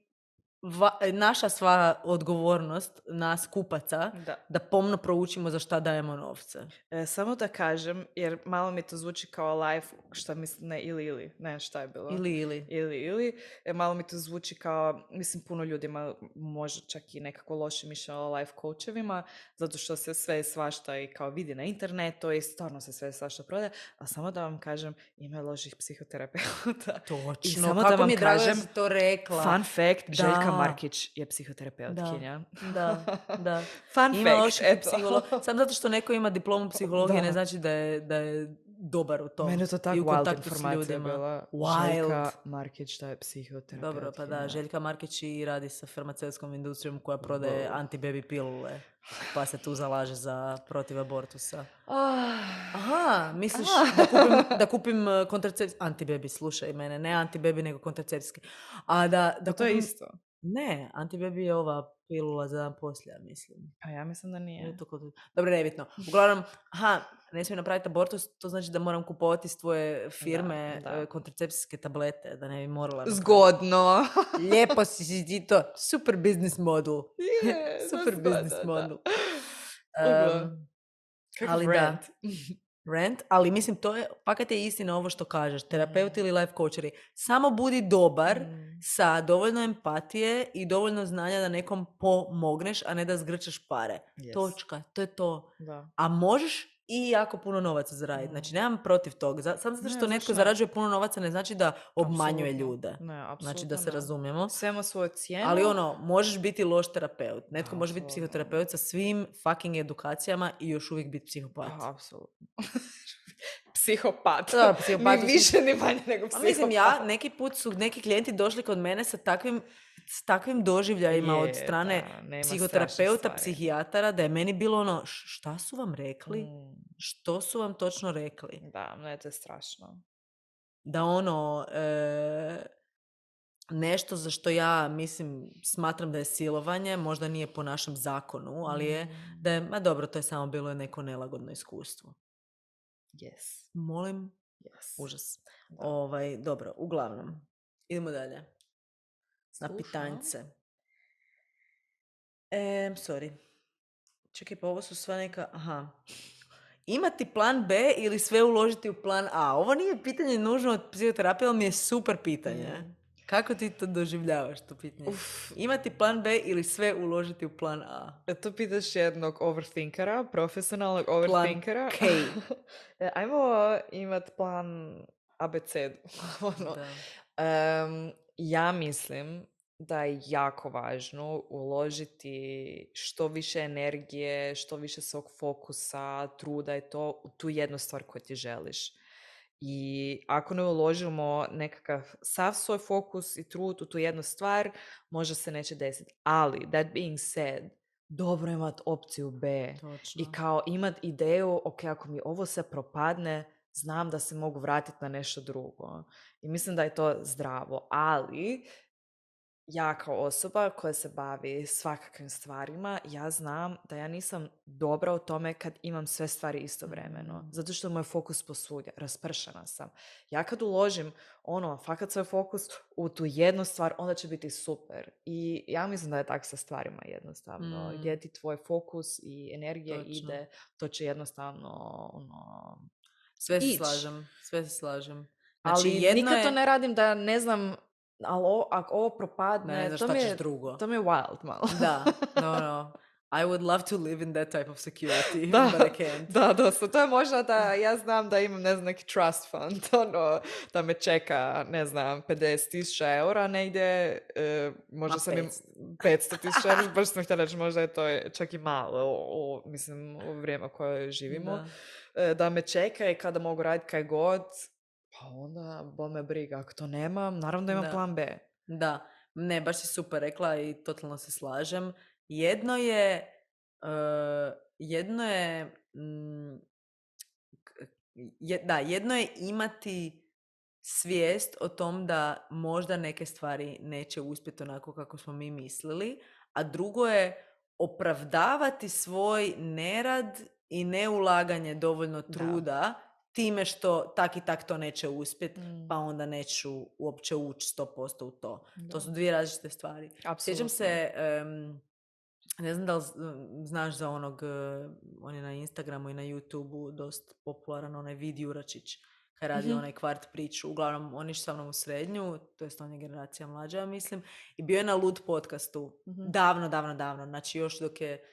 Va, naša sva odgovornost nas kupaca Da. da pomno proučimo za šta dajemo novce. E, samo da kažem, jer malo mi to zvuči kao life, šta mislim, ne, ili, ili, ne, šta je bilo? Ili, ili. Ili, ili. E, malo mi to zvuči kao, mislim, puno ljudima može čak i nekako loše mišljenje o life coachovima, zato što se sve svašta i kao vidi na internetu i stvarno se sve svašta prodaje, a samo da vam kažem, ima loših psihoterapeuta. Točno, I samo kako da vam mi je drago da kažem, si to rekla. Fun fact, Da. Željka Markić je psihoterapeutkinja. Da, da. Fun Ima fact, loših eto. psiholo- Samo zato što neko ima diplomu psihologije Da. ne znači da je, da je dobar u tom. Mene je to I tako u wild kontaktu s informacija ljudima. bila. Wild. Željka Markić, da je psihoterapeutkinja. Dobro, pa da, Željka Markić i radi sa farmaceutskom industrijom koja prodaje Wow. anti-baby pilule, pa se tu zalaže za protiv abortusa. Ah. Aha, misliš da kupim, da kupim uh, kontracepcijski... Anti-baby, slušaj mene, ne anti-baby nego kontracepcijski. A da, da Da, to je kupim... isto. Ne, anti-baby je ova pilula za dan poslije, ja mislim. Pa ja mislim da nije. Je to kod... Dobro, nebitno. Uglavnom, aha, ne smijem napraviti abortus, to znači da moram kupovati s tvoje firme Da, da. uh, kontracepcijske tablete, da ne bi morala napraviti. Zgodno. Lijepo si si ti to. Super business model. Je, Super da, business da, da. model. Uglavnom. Um, Kakav ali da. rant. Rant, ali mislim to je, fakat je istina ovo što kažeš, terapeuti ili life coacheri. Samo budi dobar Mm. sa dovoljno empatije i dovoljno znanja da nekom pomogneš, a ne da zgrčeš pare. Yes. Točka, to je to. Da. A možeš i jako puno novaca zaraditi. Mm. Znači, nemam protiv toga. Za- Samo zato Ne, što netko zašto ne? zarađuje puno novaca ne znači da obmanjuje Apsolutno. ljude. Ne, apsolutno Znači, da se ne. razumijemo. Sve ima svoju cijenu. Ali ono, možeš biti loš terapeut. Netko može biti Apsolutno. psihoterapeut sa svim fucking edukacijama i još uvijek biti psihopat. Pa, apsolutno. Psihopat. Da, psihopat u Ni više ni manje nego A psihopat. mislim, ja, neki put su neki klijenti došli kod mene sa takvim, s takvim doživljajima Je, od strane da, nema strašnih psihoterapeuta, stvari. psihijatara, da je meni bilo ono, "Š- šta su vam rekli? Mm, Što su vam točno rekli?" da, ne, to je strašno. Da ono, e, nešto za što ja mislim, smatram da je silovanje, možda nije po našem zakonu, ali je Mm, da je, ma dobro, to je samo bilo neko nelagodno iskustvo. yes, Molim, yes. užas. Da. Ovaj, dobro, uglavnom, idemo dalje. Na Slušam. pitanjce. E, sorry. Čekaj, pa ovo su sva neka... Aha. Imati plan B ili sve uložiti u plan A? Ovo nije pitanje nužno od psihoterapije, ali mi je super pitanje. Mm. Kako ti to doživljavaš, to pitanje? Uf. Imati plan B ili sve uložiti u plan A? E, To pitaš jednog overthinkera, profesionalnog overthinkera. K. E, Ajmo imat plan A B C. ono. Da. Em, ja mislim da je jako važno uložiti što više energije, što više svog fokusa, truda i to u tu jednu stvar koju ti želiš. I ako ne uložimo nekakav sav svoj fokus i trud u tu jednu stvar, možda se neće desiti. Ali, that being said, dobro imat opciju B. Točno. I kao imat ideju, ok, ako mi ovo sve propadne, znam da se mogu vratiti na nešto drugo. I mislim da je to zdravo. Ali, ja kao osoba koja se bavi svakakvim stvarima, ja znam da ja nisam dobra u tome kad imam sve stvari istovremeno. Mm. Zato što moj fokus posvudje, raspršana sam. Ja kad uložim ono, fakat svoj fokus u tu jednu stvar, onda će biti super. I ja mislim da je tako sa stvarima jednostavno. Mm. Gdje ti tvoj fokus i energija Točno. ide, to će jednostavno ono, Sve se ić. slažem. Sve se slažem. Znači, ali jedno nikad je... to ne radim da ne znam ali o, ako ovo propadne, Ne, ne znaš to, šta mi ćeš je, drugo. to mi je wild malo. Da, no, no. I would love to live in that type of security, Da, but I can't. da, dosta. To je možda da ja znam da imam, ne znam, neki trust fund, ono, da me čeka, ne znam, pedeset tisuća eura negdje, e, možda Ma, sam im petsto. petsto tisuća eura, baš sam htjela reći, možda je to čak i malo, o, o, mislim, u vrijeme u koje živimo, Da. e, da me čeka i kada mogu raditi kaj god, pa onda bome briga, ako to nemam, naravno da imam Da. plan B. Da, ne, baš si super rekla i totalno se slažem. Jedno je, uh, jedno je, mm, je, da, jedno je imati svijest o tom da možda neke stvari neće uspjeti onako kako smo mi mislili, a drugo je opravdavati svoj nerad i neulaganje dovoljno truda Da. time što tak i tak to neće uspjeti, Mm. pa onda neću uopće ući sto posto u to. Da. To su dvije različite stvari. Apsolutno. Sjećam se, um, ne znam da li znaš za onog, uh, on je na Instagramu i na YouTubeu dosta popularan, onaj Vid Juračić, kad radi Mhm. onaj kvart priču. Uglavnom, on je sa mnom u srednju, to jest on je generacija mlađa, mislim, i bio je na Lud podcastu. Mhm. Davno, davno, davno. Znači još dok je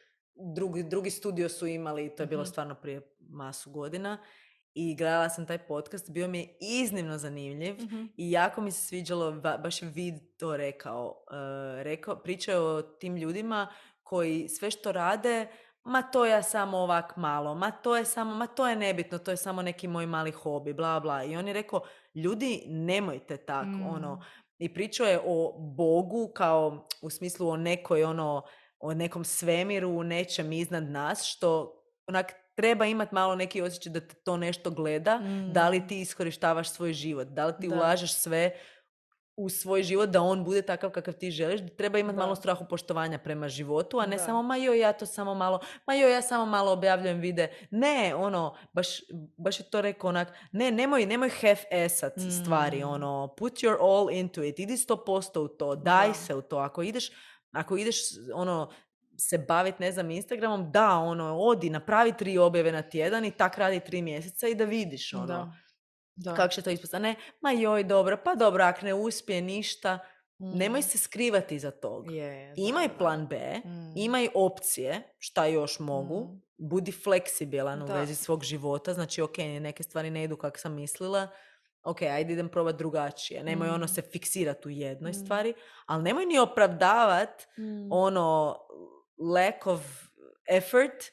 drugi, drugi studio su imali, to je bilo Mhm. stvarno prije masu godina. I gledala sam taj podcast, bio mi je iznimno zanimljiv Mhm. i jako mi se sviđalo, ba- baš je Vid to rekao. Uh, rekao, pričao o tim ljudima koji sve što rade, ma to ja samo ovak malo, ma to je samo, ma to je nebitno, to je samo neki moj mali hobi, bla bla. I on je rekao, ljudi, nemojte tak, Mm. ono. I pričao je o Bogu kao u smislu o nekoj ono, o nekom svemiru, nečem iznad nas, što onak treba imati malo neki osjećaj da te to nešto gleda, Mm. da li ti iskorištavaš svoj život, da li ti Da. ulažeš sve u svoj život da on bude takav kakav ti želiš, treba imati Da. malo strahu poštovanja prema životu, a ne Da. samo ma joj ja to samo malo, ma joj ja samo malo objavljujem vide. Ne, ono, baš, baš je to rekao onak, ne, nemoj, nemoj half-assat Mm. stvari, ono, put your all into it, idi sto posto u to, daj Da. se u to, ako ideš, ako ideš, ono, se baviti, ne znam, Instagramom, da, ono, odi, napravi tri objave na tjedan i tak radi tri mjeseca i da vidiš, ono, Da. Da. kako će to ispostati. Ne, ma joj, dobro, pa dobro, ako ne uspije ništa, Mm. nemoj se skrivati iza tog. Je, da, Imaj da. plan B, Mm. imaj opcije, šta još mogu, Mm. budi fleksibilan u Da. vezi svog života, znači, ok, neke stvari ne idu kako sam mislila, ok, ajde idem probati drugačije. Nemoj Mm. ono se fiksirati u jednoj Mm. stvari, ali nemoj ni opravdavat Mm. ono lack of effort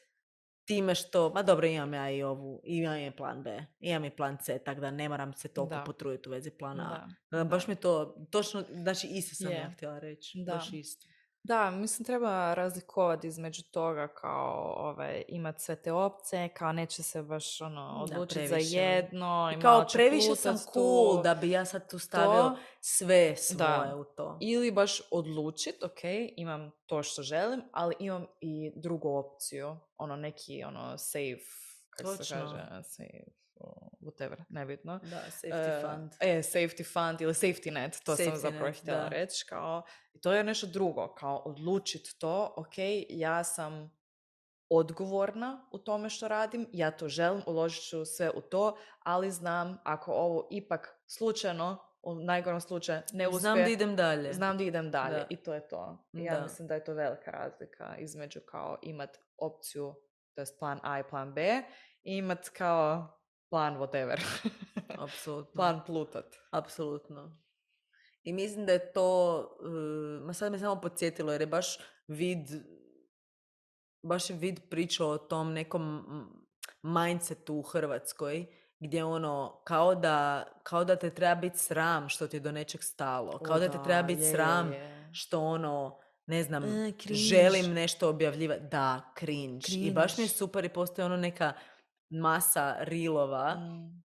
time što, ma dobro, imam ja i ovu, imam i plan B, imam i plan C, tako da ne moram se toliko Da. potruditi u vezi plana A. Da. Baš Da. mi to, točno, znači isto sam Je. ja htjela reći, Da. baš isto. Da, mislim treba razlikovati između toga kao ovaj, imati sve te opcije, kao neće se baš ono, Da, odlučiti za previše. jedno. I I kao malo će previše sam plutat cool tu. da bi ja sad tu stavio To. sve svoje Da. u to. Ili baš odlučiti, ok, imam to što želim, ali imam i drugu opciju, ono neki ono safe, kako se Točno. kaže, safe, uh, whatever, nebitno. Da, safety E, fund. E, safety fund ili safety net, to Safety sam zapravo net, htjela da. reći, kao, to je nešto drugo, kao odlučiti to, ok, ja sam odgovorna u tome što radim, ja to želim, uložit ću sve u to, ali znam ako ovo ipak slučajno, u najgorom slučaju ne uspije, Znam da idem dalje. znam da idem dalje Da. i to je to. I ja Da. mislim da je to velika razlika između kao imat opciju, to jest plan A i plan B, i imat kao plan whatever. Apsolutno. Plan plutat. Apsolutno. I mislim da je to, uh, ma sad me samo podsjetilo jer je baš vid, baš je vid pričao o tom nekom mm, mindsetu u Hrvatskoj gdje ono, kao da, kao da te treba biti sram što ti je do nečeg stalo. Kao O, da te da, treba biti je, je, sram je. što ono, ne znam, E, cringe. želim nešto objavljivati. Da, cringe. I baš mi je Cringe. super i postoji ono neka masa rilova, Mm.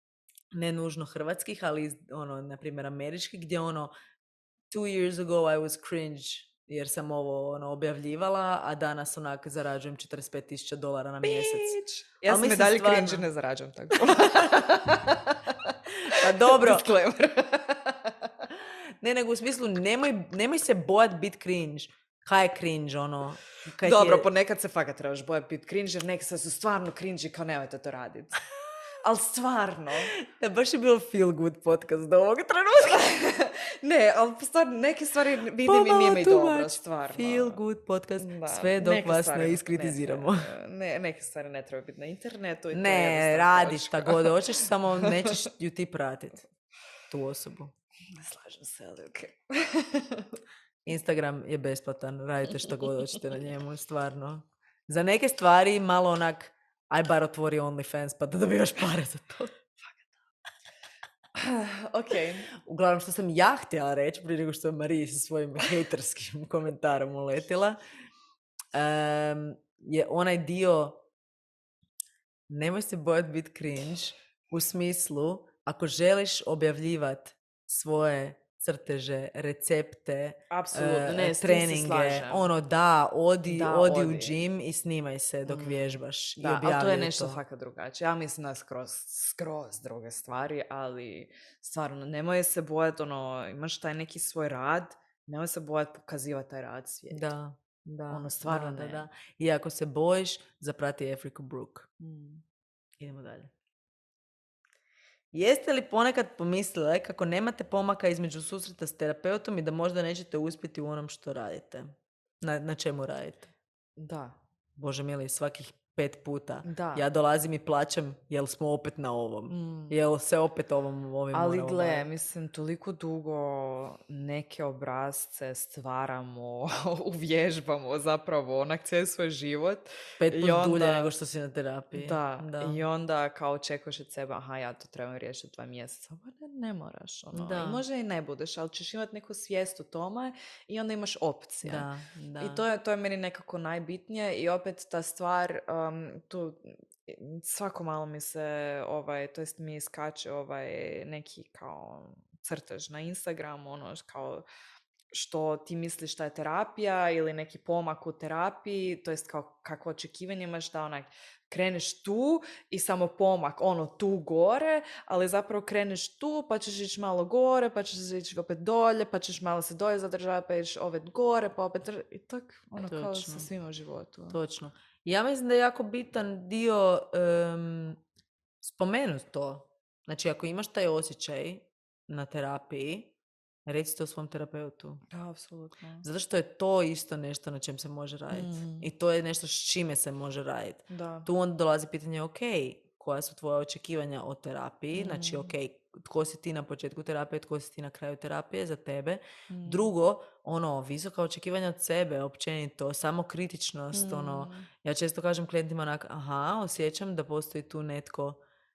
ne nužno hrvatskih, ali iz, ono, na primjer američkih, gdje ono, two years ago I was cringe jer sam ovo ono, objavljivala, a danas onak zarađujem četrdeset pet tisuća dolara na mjesec. Bitch. Ja Al sam i mislim dalje stvarno- cringe i ne zarađujem tako. Pa dobro. Disclaimer. Ne, nego u smislu, nemoj, nemoj se bojat bit cringe. Kaj je cringe, ono? Kaj ti Dobro, je... ponekad se fakat trebaš bojati biti cringe, jer neki sad su stvarno cringe i kao nemojte to raditi. ali stvarno. Da, baš je bilo feel good podcast do ovog trenutka. Ne, ali stvarno, neke stvari vidim i nije mi dobro, stvarno. Feel good podcast, Da, sve dok neke vas stvari ne iskritiziramo. Ne, ne, neke stvari ne treba biti na internetu. I to je Ne, jednostavno radiš točka. šta god hoćeš, samo nećeš ju ti pratiti. Tu osobu. Ne slažem se, ali okej. Instagram je besplatan, radite što god hoćete na njemu, stvarno. Za neke stvari malo onak, aj bar otvori OnlyFans pa da dobivaš pare za to. Ok. Uglavnom, što sam ja htjela reći, prije nego što je Mariji sa svojim hejterskim komentarom uletila, um, je onaj dio, nemoj se bojati biti cringe, u smislu, ako želiš objavljivati svoje crteže, recepte, Apsolutno, uh, ne, s tim se treninge, slažem. ono da, odi, Da, odi, odi. u gym i snimaj se dok Mm. vježbaš i Da, ali objavljaj to je nešto to. fakat drugačije. Ja mislim da skroz, skroz druge stvari, ali stvarno, nemoj se bojati, ono, imaš taj neki svoj rad, nemoj se bojati pokazivati taj rad svijetu. Da, da, Ono, stvarno da, ne. da, da. I ako se bojiš, zaprati Afriku Brook. Mm. Idemo dalje. Jeste li ponekad pomislile kako nemate pomaka između susreta s terapeutom i da možda nećete uspjeti u onom što radite? Na, na čemu radite? Da. Bože mili, svakih pet puta. Da. Ja dolazim i plaćam, jel smo opet na ovom? Mm. Jel se opet ovom ovim Ali moramo gle, baviti? mislim, toliko dugo neke obrazce stvaramo, uvježbamo zapravo onak cijeli svoj život. Pet I put onda- dulje nego što si na terapiji. Da. i onda kao očekuješ od sebe, aha, ja to trebam riješiti dva mjeseca. Pa ne, ne moraš, ono. Da. I možda i ne budeš, ali ćeš imati neku svijest o tome i onda imaš opcije. Da, da. I to je, to je meni nekako najbitnije i opet ta stvar, um, tu svako malo mi se, ovaj, to jest mi iskače ovaj neki kao crtež na Instagramu, ono kao što ti misliš da je terapija ili neki pomak u terapiji, to jest kao kakvo očekivanje imaš da onak kreneš tu i samo pomak ono tu gore, ali zapravo kreneš tu pa ćeš ići malo gore, pa ćeš ići opet dolje, pa ćeš malo se dolje zadržati, pa ćeš opet gore, pa opet dr- i tak ono kao Točno. sa svima u životu. Točno. Ja mislim da je jako bitan dio um, spomenuti to. Znači, ako imaš taj osjećaj na terapiji, reci to svom terapeutu. Da, apsolutno. Zato što je to isto nešto na čem se može raditi. Mm. I to je nešto s čime se može raditi. Da. Tu onda dolazi pitanje, ok, koja su tvoja očekivanja o terapiji? Mm. Znači, ok, tko si ti na početku terapije, tko si ti na kraju terapije za tebe. Mm. Drugo, ono, visoka očekivanja od sebe, općenito, samokritičnost, ono, Mm. ja često kažem klijentima onak, aha, osjećam da postoji tu netko,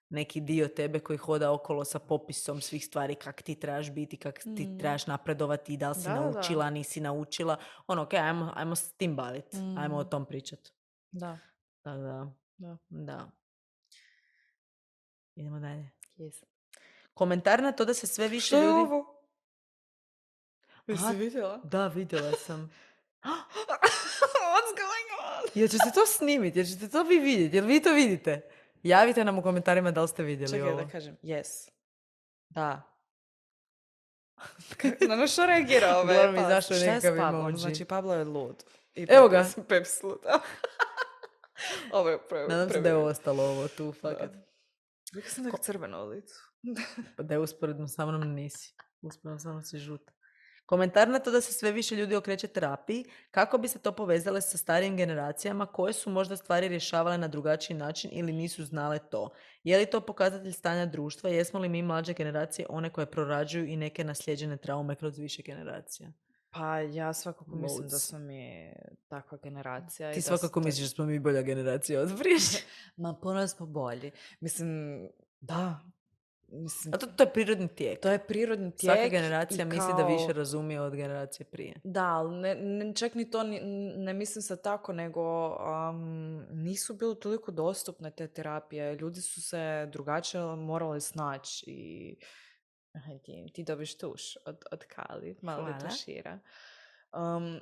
neki dio tebe koji hoda okolo sa popisom svih stvari kak ti trebaš biti, kak ti Mm. trebaš napredovati, da li si Da, da. naučila, nisi naučila. Ono, ok, ajmo, ajmo s tim baviti, Mm. ajmo o tom pričati. Da. Tako da, Da. da. Idemo dalje. Yes. Komentar na to da se sve više Što je ljudi... ovo? Jesi Aha. vidjela? Da, vidjela sam. What's going on? Jel ćete to snimiti? Jel ćete to vi vidjeti? Jel vi to vidite? Javite nam u komentarima da li ste vidjeli Čekaj ovo. da kažem, yes. Da. Na na što reagira ove? Uglavnom, Pa, izašao je šta je s nekakav Pablom? emoji. Znači, Pablo je lud. I Evo tako ga. sam Peps lud. Ovo je pre... Nadam se da je ostalo ovo tu, fakat. Uvijek sam tako crveno u licu. Pa da je usporedno sa mnom nisi. Usporedno sa mnom si žuta. Komentar na to da se sve više ljudi okreće terapiji, kako bi se to povezale sa starijim generacijama koje su možda stvari rješavale na drugačiji način ili nisu znale to. Je li to pokazatelj stanja društva? Jesmo li mi mlađe generacije one koje prorađuju i neke naslijeđene traume kroz više generacija? Pa ja svakako mislim da Loads. smo mi takva generacija. i Ti da svakako to- misliš da smo mi bolja generacija od prije. Ma puno smo bolji. Mislim, da. Mislim, A to, to je prirodni tijek. to je prirodni tijek. Svaka generacija i misli da kao- više razumije od generacije prije. Da, ali ne, ne, čak ni to ni- ne mislim sad tako, nego um, nisu bile toliko dostupne te terapije. Ljudi su se drugačije morali snaći i aha, ti, ti dobiš tuš od, od Kali, malo da Hvala. tušira. Um,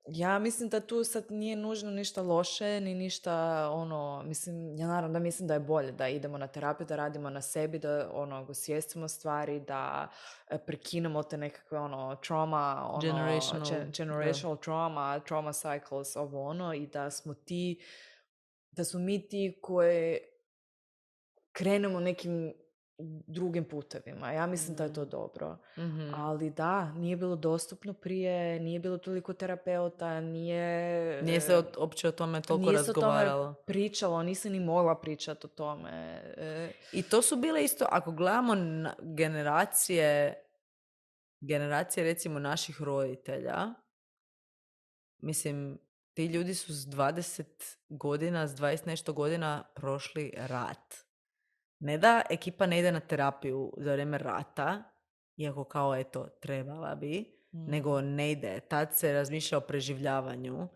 ja mislim da tu sad nije nužno ništa loše, ni ništa ono, mislim, ja naravno da mislim da je bolje da idemo na terapiju, da radimo na sebi, da ono, osvijestimo stvari, da e, prekinemo te nekakve ono, trauma, ono, Generational, ge- da. generational trauma, trauma cycles, ovo ono, i da smo ti, da smo mi ti koji krenemo nekim drugim putevima. Ja mislim Mhm. da je to dobro. Mhm. Ali da, nije bilo dostupno prije, nije bilo toliko terapeuta, nije... Nije se o, uopće o tome toliko nije se o tome razgovaralo. pričalo, nisam ni mogla pričati o tome. E, I to su bile isto, ako gledamo na generacije, generacije recimo naših roditelja, mislim, ti ljudi su s dvadeset godina, s dvadeset nešto godina prošli rat. Ne da ekipa ne ide na terapiju za vrijeme rata, iako kao eto trebala bi, Mm. nego ne ide. Tad se razmišlja o preživljavanju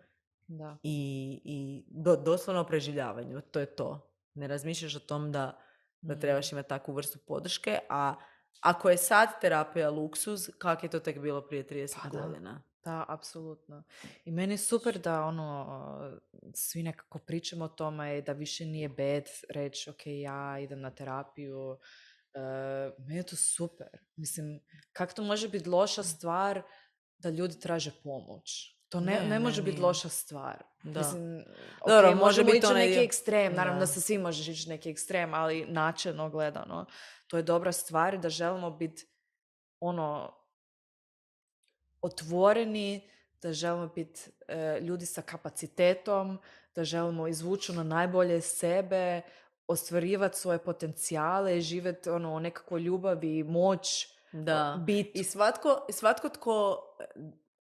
da. i, i do, doslovno o preživljavanju, to je to. Ne razmišljaš o tom da, da Mm. trebaš imati takvu vrstu podrške, a ako je sad terapija luksuz, kak je to tek bilo prije trideset Pa da. godina? Da, apsolutno. I meni je super da ono, svi nekako pričamo o tome i da više nije bad reći ok, ja idem na terapiju. Uh, meni je to super. Mislim, kako to može biti loša stvar da ljudi traže pomoć? To ne, Ne, ne, ne, može biti nije. loša stvar. Da. Mislim, Dobro, ok, može možemo biti ići u onaj neki dio- ekstrem, naravno da. Da. se svi možeš ići u neki ekstrem, ali načelno gledano, to je dobra stvar da želimo biti ono, otvoreni, da želimo biti e, ljudi sa kapacitetom, da želimo izvući ono najbolje sebe, ostvarivati svoje potencijale, živjeti ono, nekako ljubavi i moć, Da. biti. I svatko, svatko tko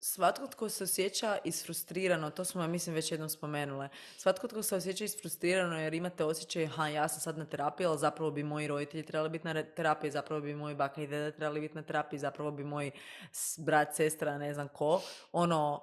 svatko tko se osjeća isfrustrirano, to smo ja mislim već jednom spomenule, svatko tko se osjeća isfrustrirano jer imate osjećaj, ha, ja sam sad na terapiji, ali zapravo bi moji roditelji trebali biti na terapiji, zapravo bi moji baka i deda trebali biti na terapiji, zapravo bi moj brat, sestra, ne znam ko, ono,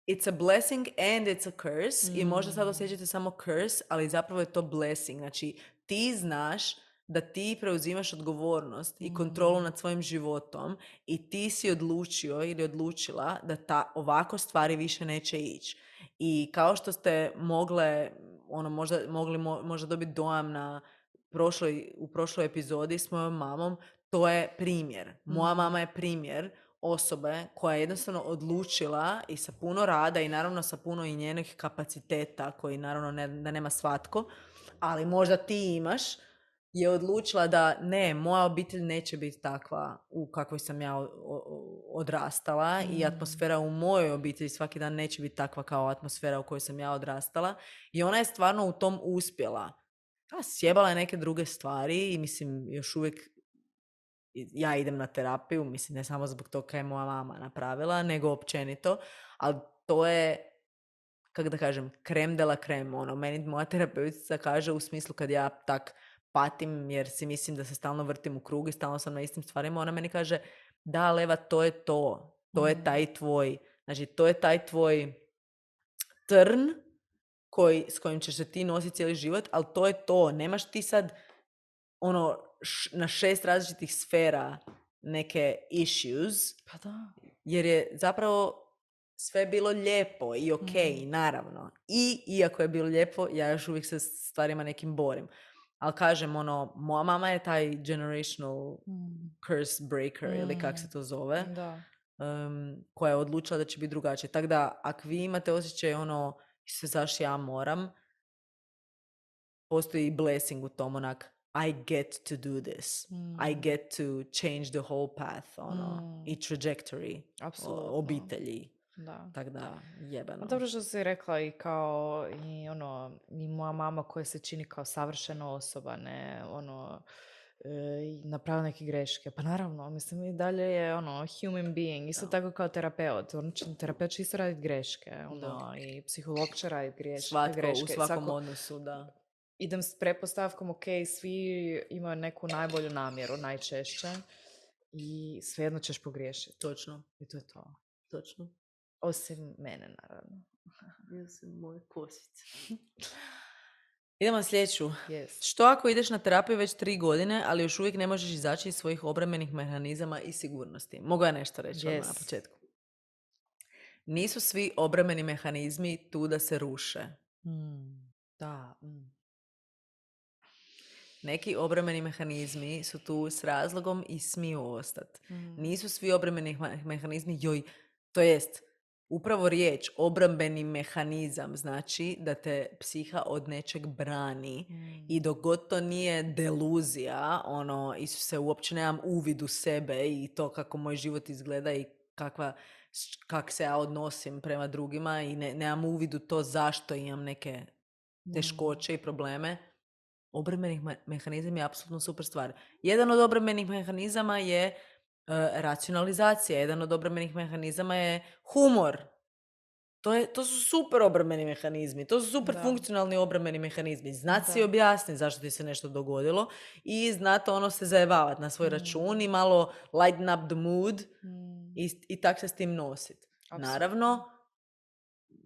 it's a blessing and it's a curse. Mm. I možda sad osjećate samo curse, ali zapravo je to blessing. Znači, ti znaš da ti preuzimaš odgovornost mm. i kontrolu nad svojim životom i ti si odlučio ili odlučila da ta ovako stvari više neće ići. I kao što ste mogle, ono, možda, mogli mo, možda dobiti dojam na prošloj, u prošloj epizodi s mojom mamom, to je primjer. Moja mm. mama je primjer osobe koja je jednostavno odlučila i sa puno rada i naravno sa puno i njenih kapaciteta koji naravno ne, da nema svatko, ali možda ti imaš, je odlučila da ne, moja obitelj neće biti takva u kakvoj sam ja odrastala mm. i atmosfera u mojoj obitelji svaki dan neće biti takva kao atmosfera u kojoj sam ja odrastala i ona je stvarno u tom uspjela. A, sjebala je neke druge stvari i mislim još uvijek ja idem na terapiju, mislim ne samo zbog toga je moja mama napravila, nego općenito, ali to je, kako da kažem, krem de la krem, ono, meni moja terapeutica kaže u smislu kad ja tak patim jer si mislim da se stalno vrtim u krug i stalno sam na istim stvarima, ona meni kaže, da Leva, to je to, to je taj tvoj, znači to je taj tvoj trn koji, s kojim ćeš se ti nositi cijeli život, ali to je to, nemaš ti sad ono, š, na šest različitih sfera neke issues, Pa da. jer je zapravo sve bilo lijepo i ok, mm. naravno. I iako je bilo lijepo, ja još uvijek se s stvarima nekim borim. Ali kažem, ono, moja mama je taj generational mm. curse breaker, mm. ili kak se to zove, da. Um, koja je odlučila da će biti drugačije. Tako da, ako vi imate osjećaj, ono, se zašto ja moram, postoji blessing u tom, onak, I get to do this. Mm. I get to change the whole path, ono, mm. i trajectory o, obitelji. Da. Tako da, jebeno. Dobro što si rekla i kao, i ono, i moja mama koja se čini kao savršena osoba, ne, ono, e, napravila neke greške. Pa naravno, mislim, i dalje je, ono, human being, isto da. Tako kao terapeut. On će, terapeut će isto raditi greške, ono, i psiholog će raditi greške. Svatko, greške. u svakom Svako, odnosu, da. Idem s pretpostavkom, ok, svi imaju neku najbolju namjeru, najčešće, i svejedno ćeš pogriješiti. Točno. I to je to. Točno. Osim mene, naravno. Osim moje kosice. Idemo na sljedeću. Yes. Što ako ideš na terapiju već tri godine, ali još uvijek ne možeš izaći iz svojih obrambenih mehanizama i sigurnosti? Mogu ja nešto reći yes. na početku? Nisu svi obrambeni mehanizmi tu da se ruše. Mm. Da. Mm. Neki obrambeni mehanizmi su tu s razlogom i smiju ostati. Mm. Nisu svi obrambeni mehanizmi, joj, to jest, upravo riječ obrambeni mehanizam znači da te psiha od nečeg brani Mm. i dok god to nije deluzija, ono, Isuse, uopće nemam uvid u sebe i to kako moj život izgleda i kakva, kak se ja odnosim prema drugima i ne, nemam uvid u to zašto imam neke teškoće i probleme, obrambenih mehanizam je apsolutno super stvar. Jedan od obrambenih mehanizama je uh, racionalizacija, jedan od obrambenih mehanizama je humor. To, je, to su super obrambeni mehanizmi, to su super Da. funkcionalni obrambeni mehanizmi. Znat Da. si objasniti zašto ti se nešto dogodilo i znati ono se zajebavati na svoj Mm. račun i malo lighten up the mood Mm. i, i tak se s tim nositi. Apsolutno. Naravno,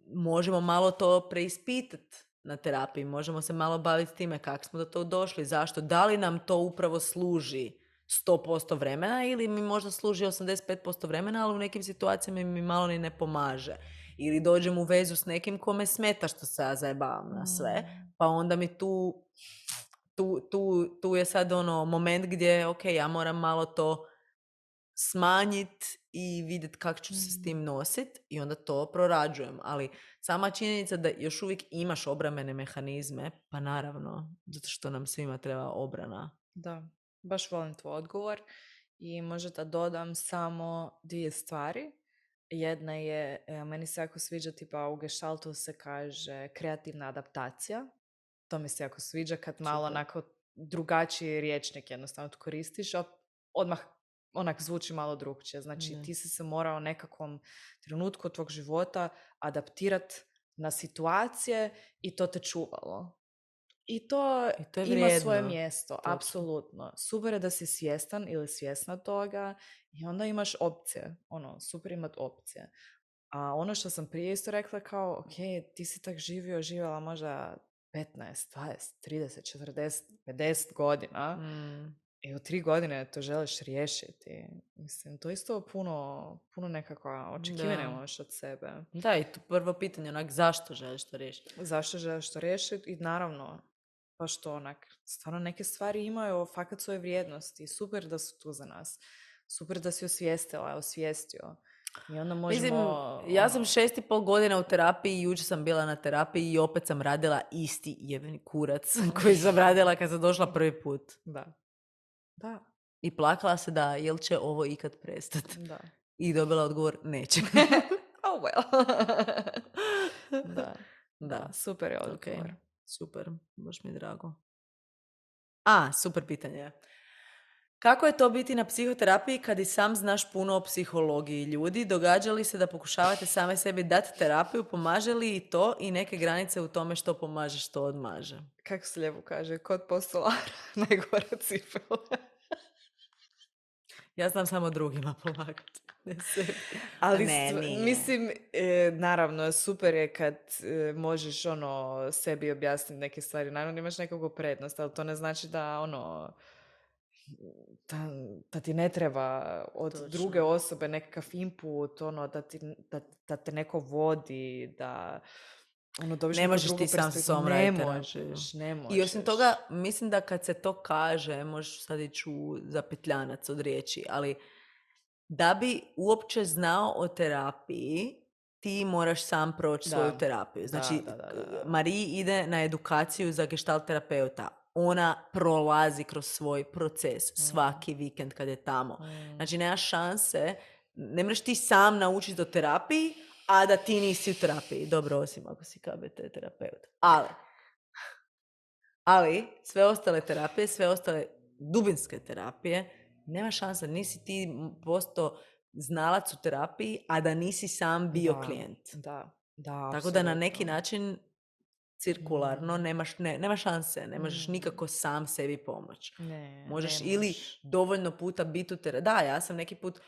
možemo malo to preispitati na terapiji, možemo se malo baviti time kako smo do tog došli, zašto, da li nam to upravo služi sto posto vremena ili mi možda služi osamdeset pet posto vremena, ali u nekim situacijama mi malo ni ne pomaže. Ili dođem u vezu s nekim kome smeta što se ja zajebavam na sve, pa onda mi tu, tu, tu, tu je sad ono moment gdje, ok, ja moram malo to smanjiti i vidjeti kako ću se s tim nositi i onda to prorađujem. Ali sama činjenica da još uvijek imaš obrambene mehanizme, pa naravno, zato što nam svima treba obrana. Da, baš volim tvoj odgovor i možda dodam samo dvije stvari. Jedna je, meni se jako sviđa, tipa u gestaltu se kaže kreativna adaptacija. To mi se jako sviđa kad malo Super. onako drugačiji rječnik jednostavno to koristiš, a odmah onak zvuči malo drugčije. Znači Ne. ti si se morao u nekakvom trenutku tvog života adaptirati na situacije i to te čuvalo. I to, I to je ima vrijedno. svoje mjesto, Točno. apsolutno. Super je da si svjestan ili svjesna toga i onda imaš opcije. Ono, super imat opcije. A ono što sam prije isto rekla kao, ok, ti si tak živio, živjela možda petnaest, dvadeset, trideset, četrdeset, pedeset godina Mm. i u tri godine to želiš riješiti. Mislim, to isto puno, puno nekakva očekivanja Da. imaš od sebe. Da, i tu prvo pitanje, onak, zašto želiš to riješiti? Zašto želiš to riješiti i naravno, pa što onak, stvarno neke stvari imaju fakat svoje vrijednosti. Super da su tu za nas. Super da si osvijestila, osvijestio. I onda možemo... Mislim, ja sam šest i pol godina u terapiji i jučer sam bila na terapiji i opet sam radila isti jebeni kurac koji sam radila kad sam došla prvi put. Da. Da. I plakala se da, jel će ovo ikad prestati? Da. I dobila odgovor, neće. Oh well. da. Da, Super je odgovor. ok, super, baš mi je drago. A, super pitanje. Kako je to biti na psihoterapiji kad i sam znaš puno o psihologiji ljudi? Događa li se da pokušavate same sebi dati terapiju? Pomaže li i to i neke granice u tome što pomaže, što odmaže? Kako se lijepo kaže, kod postolara najgora cipela. Ja znam samo drugima pomagati. Ne sebi. Ali ne, stv- nije. mislim, e, naravno, super je kad e, možeš ono sebi objasniti neke stvari. Naravno, imaš nekakvu prednost, ali to ne znači da ono da, da ti ne treba od Točno. druge osobe nekakav input, ono, da, ti, da, da te neko vodi, da ono, dobiš Ne neku možeš drugu ti sam sa perspektivu. sobom Ne raditi terapiju. možeš, ne možeš. I osim toga, mislim da kad se to kaže, možeš sad ići u zapetljanac od riječi, ali da bi uopće znao o terapiji, ti moraš sam proći Da. svoju terapiju. Znači, Da, da, da, da, da. Mariji ide na edukaciju za gestalt terapeuta. Ona prolazi kroz svoj proces svaki vikend kad je tamo. Znači, nema šanse, ne možeš ti sam naučiti o terapiji, a da ti nisi u terapiji. Dobro, osim ako si K B T terapeut. Ali, ali sve ostale terapije, sve ostale dubinske terapije, nema šanse, nisi ti postao znalac u terapiji, a da nisi sam bio Da, klijent. Da, da, Tako da na apsolutno. neki način cirkularno nemaš, ne, nema šanse, ne možeš Mm. nikako sam sebi pomoći. Ne, Možeš ne ili možeš. dovoljno puta biti u terapiji. Da, ja sam neki put,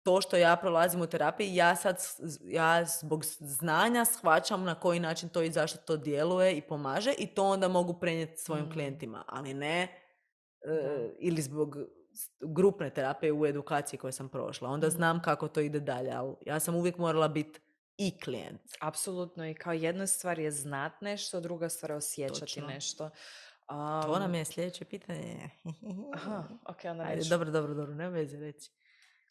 to što ja prolazim u terapiji, ja sad, s- ja zbog znanja shvaćam na koji način to i zašto to djeluje i pomaže i to onda mogu prenijeti svojim Mm. klijentima, ali ne e, Da. ili zbog s- grupne terapije u edukaciji koju sam prošla. Onda Mm. znam kako to ide dalje, ali ja sam uvijek morala biti i klijent. Apsolutno, i kao jedna stvar je znat nešto, druga stvar je osjećati Točno. nešto. To Um, nam je sljedeće pitanje. Aha, ok, onda Ajde, neću. dobro, dobro, dobro, ne veze reći.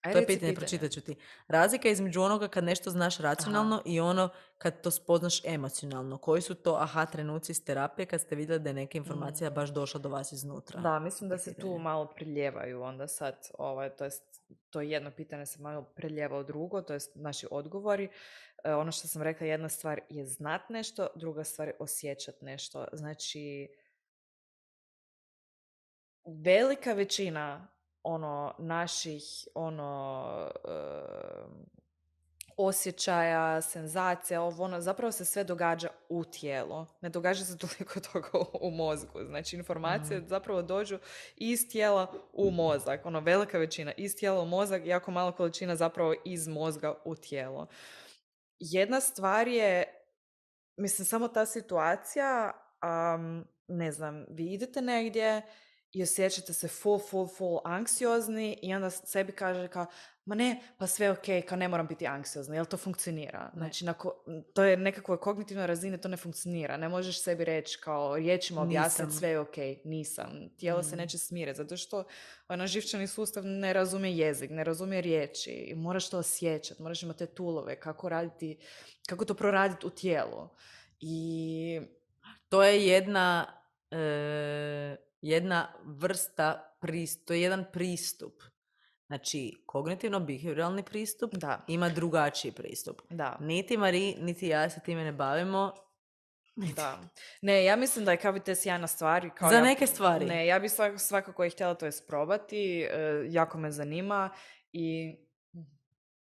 Aj, To je reci pitanje, pitanje. pročitat ću ti. Razlika između onoga kad nešto znaš racionalno Aha. i ono kad to spoznaš emocionalno. Koji su to aha trenuci iz terapije kad ste vidjeli da je neka informacija baš došla do vas iznutra? Da, mislim da se tu Pitanje. malo preljevaju onda sad, ovaj, to jest, to jedno pitanje se malo preljeva u drugo, to jest naši odgovori. E, ono što sam rekla, jedna stvar je znat nešto, druga stvar je osjećat nešto. Znači, velika većina ono naših ono em, osjećaja, senzacija, ovo ono, zapravo se sve događa u tijelu. Ne događa se toliko toga u mozgu. Znači, informacije zapravo dođu iz tijela u mozak. Ono, velika većina iz tijela u mozak, jako mala količina zapravo iz mozga u tijelo. Jedna stvar je, mislim, samo ta situacija, um, ne znam, vi idete negdje i osjećate se full, full, full anksiozni i onda sebi kaže kao, ma ne, pa sve ok, kao ne moram biti anksiozni, jel to funkcionira? Znači, na ko- to je nekakvoj kognitivnoj razini, to ne funkcionira. Ne možeš sebi reći kao riječima objasniti Nisam. sve je ok, nisam. Tijelo se neće smiriti, zato što ono, živčani sustav ne razumije jezik, ne razumije riječi i moraš to osjećati, moraš imati te tulove, kako raditi, kako to proraditi u tijelu. I To je jedna, e, jedna vrsta, pristup, to je jedan pristup. Znači, kognitivno-behavioralni pristup da, ima drugačiji pristup. da, Niti Mari, niti ja se time ne bavimo. da. Ne, ja mislim da je K B T sjajna stvar. Kao Za ja- neke stvari. Ne, ja bi svak- svakako i htjela to isprobati, e, jako me zanima i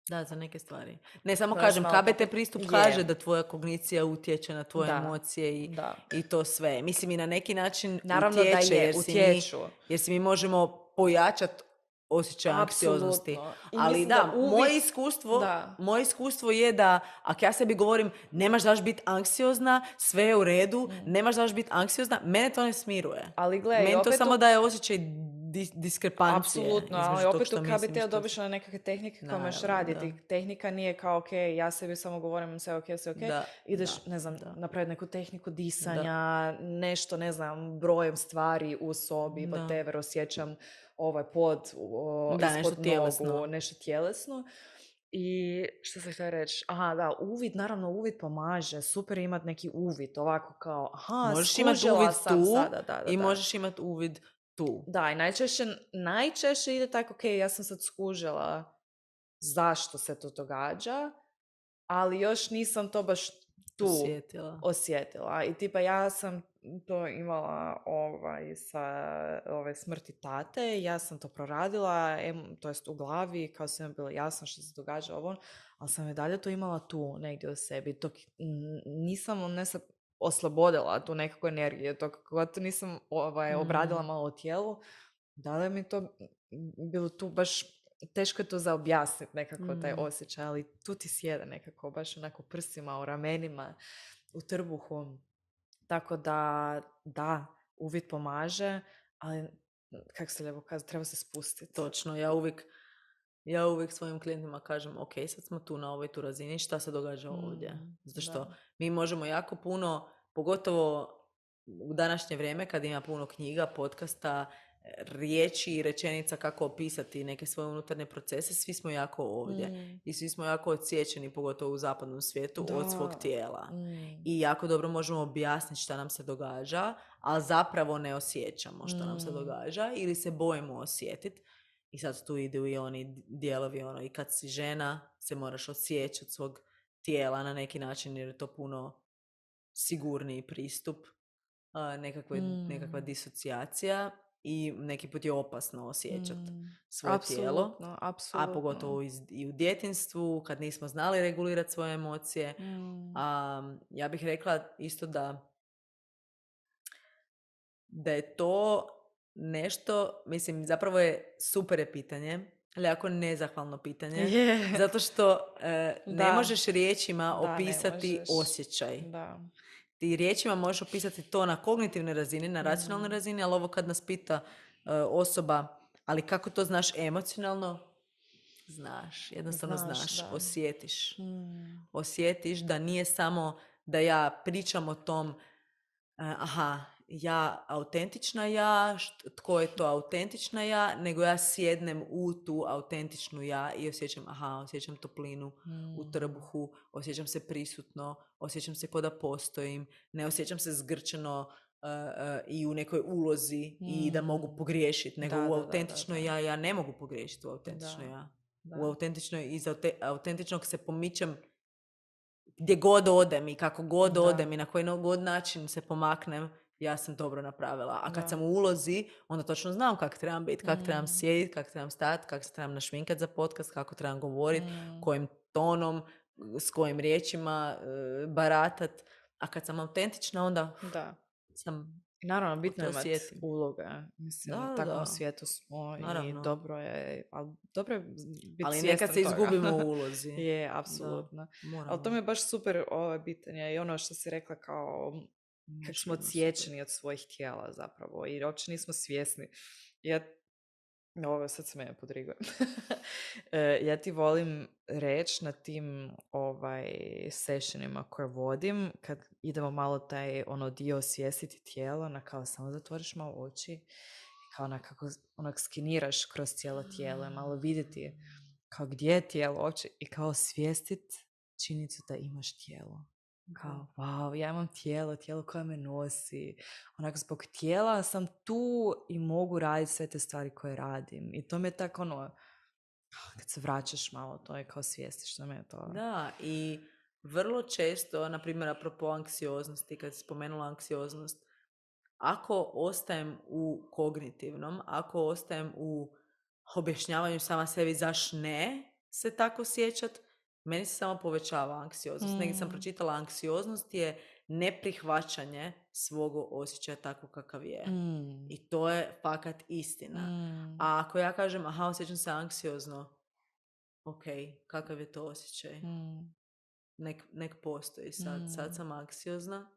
Da, za neke stvari. Ne, samo Baš kažem, malo K B T to- pristup je. kaže da tvoja kognicija utječe na tvoje Da, emocije i, da. i to sve. Mislim, i na neki način Naravno da utječe, je, jer, si utječu. mi, jer si mi možemo pojačati osjećaj anksioznosti. Apsolutno. I Ali mislim da, da uvid- moje, iskustvo, Da. moje iskustvo je da ako ja sebi govorim nemaš daš biti anksiozna, sve je u redu, nemaš daš biti anksiozna, mene to ne smiruje. Ali gle, i Meni to opet samo u- daje osjećaj dis- diskrepancije. Apsolutno, ali između tog opet što u mislim i K B T-u što- dobiš na nekakve tehnike koje možeš Naravno, raditi. da. Tehnika nije kao, ok, ja sebi samo govorim sve ok, sve ok. Da, Ideš, da, ne znam, da. napraviti neku tehniku disanja, nešto, ne znam, brojem stvari u sobi, Da. whatever, osjećam ovaj pod, o, Da, ispod nešto nogu, tjelesno. nešto tjelesno. I što sam htjela reći? Aha, da, uvid, naravno, uvid pomaže. Super je imati neki uvid, ovako kao, aha, Možeš imati skužila uvid sam tu sada, da, da, i da. možeš imati uvid tu. Da, i najčešće, najčešće ide tako, ok, ja sam sad skužila zašto se to događa, ali još nisam to baš tu Osjetila. osjetila. I tipa ja sam to imala ovaj, sa ove smrti tate, ja sam to proradila, em, to jest u glavi, kao sam je bilo jasno što se događa ovo, ali sam i dalje to imala tu negdje u sebi, dok n- nisam ne se oslobodila tu nekakvu energiju, dok god nisam ovaj, obradila malo u tijelu, da li mi to bilo tu baš teško je to za objasniti nekako taj osjećaj, ali tu ti sjede nekako baš onako prsima, u ramenima, u trbuhu. Tako da, da, uvid pomaže, ali kako se lijepo kaže, treba se spustiti. Točno, ja uvijek, ja uvijek svojim klijentima kažem, ok, sad smo tu na ovoj tu razini, šta se događa ovdje? Zato što da. mi možemo jako puno, pogotovo u današnje vrijeme kad ima puno knjiga, podcasta, riječi i rečenica kako opisati neke svoje unutarnje procese, svi smo jako ovdje. Mm. I svi smo jako odsječeni, pogotovo u zapadnom svijetu, Da. od svog tijela. Mm. I jako dobro možemo objasniti šta nam se događa, ali zapravo ne osjećamo šta nam se Mm. događa ili se bojimo osjetiti. I sad tu idu i oni dijelovi, ono, i kad si žena se moraš osjećati svog tijela na neki način jer je to puno sigurniji pristup, a, nekakve, Mm. nekakva disocijacija i neki put je opasno osjećati Mm. svoje tijelo. Apsolutno, apsolutno. A pogotovo iz- i u djetinjstvu, kad nismo znali regulirati svoje emocije. Mm. A, ja bih rekla isto da da je to nešto, mislim, zapravo je super je pitanje, ali jako nezahvalno pitanje, Je. zato što e, ne Da. možeš riječima Da, ne opisati možeš. osjećaj. Da. Ti riječima možeš opisati to na kognitivnoj razini, na racionalnoj Mm. razini, ali ovo kad nas pita e, osoba, ali kako to znaš emocionalno? Znaš, jednostavno Znaš, znaš, da. osjetiš. Mm. Osjetiš da nije samo da ja pričam o tom, e, aha, ja autentična ja, št- tko je to autentična ja, nego ja sjednem u tu autentičnu ja i osjećam, aha, osjećam toplinu Mm. u trbuhu, osjećam se prisutno, osjećam se kao da postojim, ne osjećam se zgrčeno uh, uh, i u nekoj ulozi Mm. i da mogu pogriješiti, nego Da, u da, da, autentičnoj da, da. ja, ja ne mogu pogriješiti u autentičnoj Da, ja. da. U autentičnoj, iz aute- autentičnog se pomičem gdje god odem i kako god Da. odem i na koji god način se pomaknem, ja sam dobro napravila. A kad Da. sam u ulozi, onda točno znam kak trebam biti, kak Mm. trebam sjediti, kak trebam stati, kak se trebam našminkat za podcast, kako trebam govoriti, Mm. kojim tonom, s kojim riječima e, baratat. A kad sam autentična, onda Da. sam... I naravno, bitno je to imati osjetim. uloga. Mislim, Da, u takvom da. svijetu smo i Naravno. dobro je, ali dobro je biti Ali svjestan nekad se toga. izgubimo u ulozi. Je, apsolutno. Moramo. Ali to mi je baš super ovo pitanje i ono što si rekla kao kako smo odsječeni od svojih tijela zapravo i uopće nismo svjesni. Ja, ovo sad se mene podriguje. Ja ti volim reći na tim ovaj, sessionima koje vodim, kad idemo malo taj ono dio osvijestiti tijelo, na kao samo zatvoriš malo oči i kao onako onak skiniraš kroz cijelo tijelo i malo vidjeti kao gdje je tijelo uopće i kao osvijestiti činjenicu da imaš tijelo. Kao, wow, ja imam tijelo, tijelo koje me nosi. Onak, zbog tijela sam tu i mogu raditi sve te stvari koje radim. I to mi je tako ono, kad se vraćaš malo, to je kao svijestiš, što mi je to. Da, i vrlo često, na primjer, apropo anksioznosti, kad si spomenula anksioznost, ako ostajem u kognitivnom, ako ostajem u objašnjavanju sama sebi zaš ne se tako sjećat, meni se samo povećava anksioznost. Mm. Negdje sam pročitala, anksioznost je neprihvaćanje svog osjećaja tako kakav je. Mm. I to je fakat istina. Mm. A ako ja kažem, aha, osjećam se anksiozno, ok, kakav je to osjećaj? Mm. Nek, nek postoji sad. Mm. Sad sam anksiozna.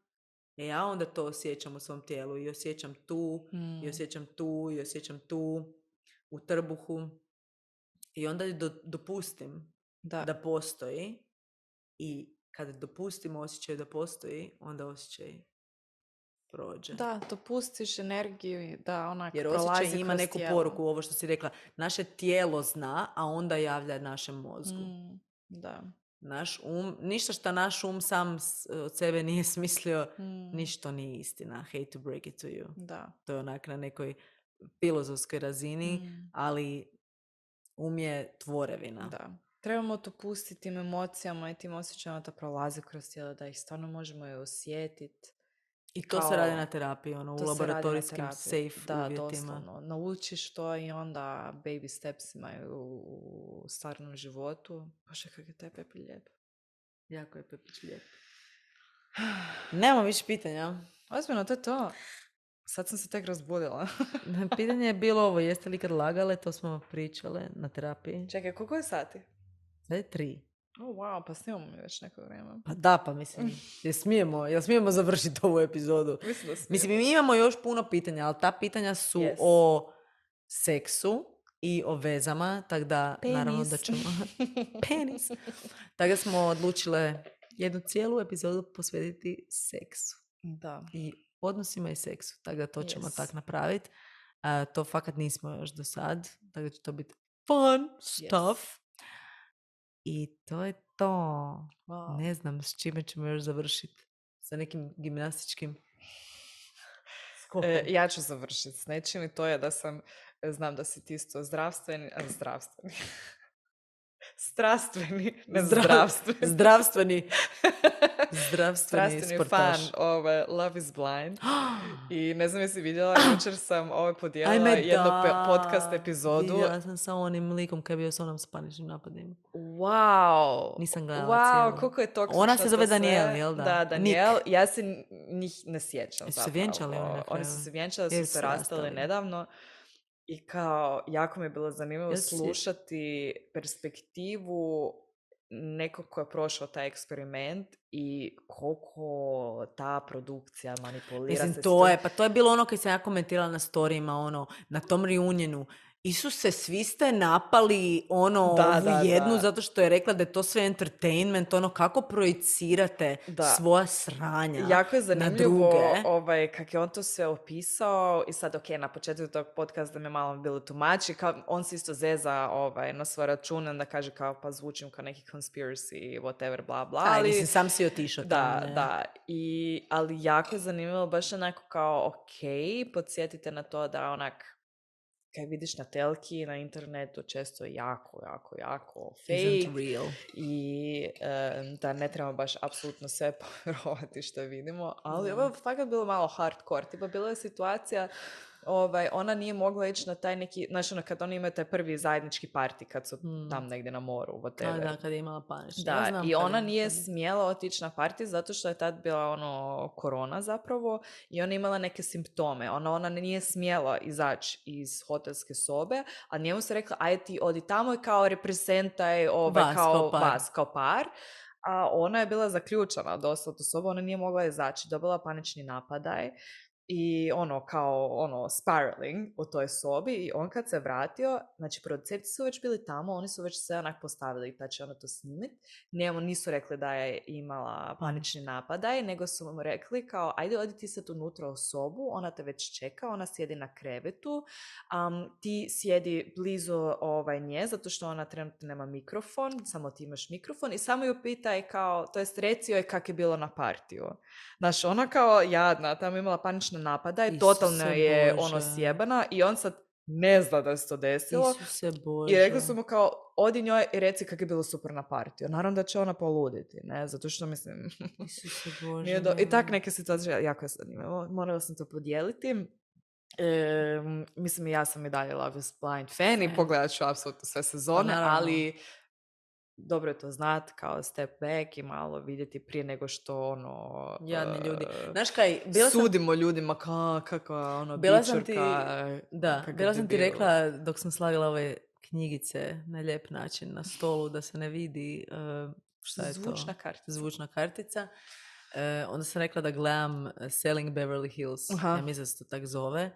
E ja onda to osjećam u svom tijelu i osjećam tu, Mm. i osjećam tu, i osjećam tu, u trbuhu. I onda do, dopustim da. da postoji i kad dopustimo osjećaj da postoji, onda osjećaj prođe. Da, dopustiš energiju da onak jer prolazi osjećaj ima neku tijelo. poruku, ovo što si rekla. Naše tijelo zna, a onda javlja našem mozgu. Mm, da. Naš um, ništa što naš um sam od sebe nije smislio, mm. ništa nije istina. Hate to break it to you. Da. To je onak na nekoj filozofskoj razini, mm. ali um je tvorevina. Da. Trebamo to pustiti tim emocijama i tim osjećajima da prolaze kroz tijelo, da ih stvarno možemo je osjetiti. I to kao, se radi na terapiji, ono, u laboratorijskim safe da, uvjetima. Doslovno. Naučiš to i onda baby steps imaju u stvarnom životu. Bože, kak je taj Pepi lijep. Jako je Pepić lijep. Nemamo više pitanja. Ozbiljno, to je to. Sad sam se tek razbudila. Pitanje je bilo ovo, jeste li kad lagale, to smo pričale na terapiji. Čekaj, koliko je sati? Sad je tri. Oh, wow, pa snimamo mi već neko vrijeme. Pa da, pa mislim, jel smijemo, jel smijemo završiti ovu epizodu? Mislim da smijemo. Mislim, mi imamo još puno pitanja, ali ta pitanja su yes. o seksu i o vezama, tako da Penis. Naravno da ćemo... Penis. Tako da smo odlučile jednu cijelu epizodu posvetiti seksu. Da. I odnosima i seksu, tako da to yes. ćemo tak napraviti. Uh, to fakat nismo još do sad, tako da će to biti fun stuff. Yes. I to je to. Wow. Ne znam s čime ćemo još završiti. Sa nekim gimnastičkim skopom. E, ja ću završiti s nečim i to je da sam, znam da si ti isto zdravstveni, a zdravstveni. Strastveni, ne Zdrav, zdravstveni. Zdravstveni. Zdravstveni, Strastveni sportaš. fan ove Love is Blind. I ne znam jesi vidjela, jučer sam ove podijelila Ajme, jednu da. pe- podcast epizodu. Vidjela sam sa onim likom kad je bio s onom s paničnim napadima. Wow. Nisam gledala wow, cijelu. koliko je toksično. Ona se zove sve. Daniel, jel da? Da, Daniel. Nik. Ja se njih ne sjećam Jesu zapravo. se vjenčali oni na kraju? Oni su se vjenčali, su Jesu se rastali nedavno. I kao, jako mi je bilo zanimljivo Jesu. slušati perspektivu nekog ko je prošao taj eksperiment i koliko ta produkcija manipulira. Mislim, se to je, pa to je bilo ono kad sam ja komentirala na storijima, ono, na tom reunionu. Isuse, svi ste napali ono, Da, ovu da, jednu da. zato što je rekla da je to sve entertainment, ono, kako projicirate Da. svoja sranja Jako je na zanimljivo druge. ovaj, kak je on to sve opisao i sad, ok, na početku tog podcasta mi je malo bilo tumači, kao on se isto zeza ovaj, na svoj račun, onda kaže kao pa zvučim kao neki conspiracy, whatever, bla, bla. Aj, Ali, mislim, sam si otišao da, tamo, ne? da. I, ali jako je zanimljivo, baš onako kao, ok, podsjetite na to da onak, kaj vidiš na telki, na internetu, često je jako, jako, jako fake. Isn't real. I um, da ne trebamo baš apsolutno sve povjerovati što vidimo. Ali Da. ovo je fakat bilo malo hardcore. Tipa, bila je situacija, ovaj, ona nije mogla ići na taj neki, znači ono, kad oni imaju taj prvi zajednički party, kad su Hmm. tam negdje na moru, A whatever. da, kad je imala panični. Da, Ja znam i kad ona je- nije kad- smjela otići na party zato što je tad bila ono korona zapravo i ona je imala neke simptome. Ona, ona nije smjela izaći iz hotelske sobe, a njemu se rekla, aj ti odi tamo i kao reprezentaj ovaj, Vas kao, kao par. vas kao par. A ona je bila zaključana dosta u tu sobu, ona nije mogla izaći, dobila panični napadaj. I ono, kao, ono, spiraling u toj sobi i on kad se vratio, znači producenti su već bili tamo, oni su već sve onak postavili da će ona to snimit. Njemu nisu rekli da je imala panični napadaj, nego su mu rekli kao, ajde odi ti sad unutra u sobu, ona te već čeka, ona sjedi na krevetu, um, ti sjedi blizu ovaj nje, zato što ona trenutno nema mikrofon, samo ti imaš mikrofon i samo ju pitaj kao, to jest reci joj kak je bilo na partiju. Znaš, ona kao jadna, tamo je imala panične napada i Isuse totalno je Bože. ono sjebana i on sad ne zna da se to desilo. Isuse Bože. I rekli su mu kao, odi njoj i reci kako je bilo super na partiju. Naravno da će ona poluditi, ne, zato što mislim... Isuse Bože. nije do... I nemoj. tak neke situacije jako je zanimljivo. Morala sam to podijeliti. E, mislim, ja sam i dalje Love is Blind fan i Fan. pogledat ću apsolutno sve sezone, naravno. ali dobro je to znat kao step back i malo vidjeti prije nego što ono... Jadni ljudi. e, Znaš kaj, bila sam, sudimo ljudima ka, kakva ono Bila sam bičurka, ti- da, kakav bila sam ti debil. rekla dok sam slagala ove knjigice na lijep način na stolu da se ne vidi uh, šta je Zvučna to? kartica. Zvučna kartica. Uh, onda sam rekla da gledam uh, Selling Beverly Hills. Aha. Ja mislim da se to tak zove.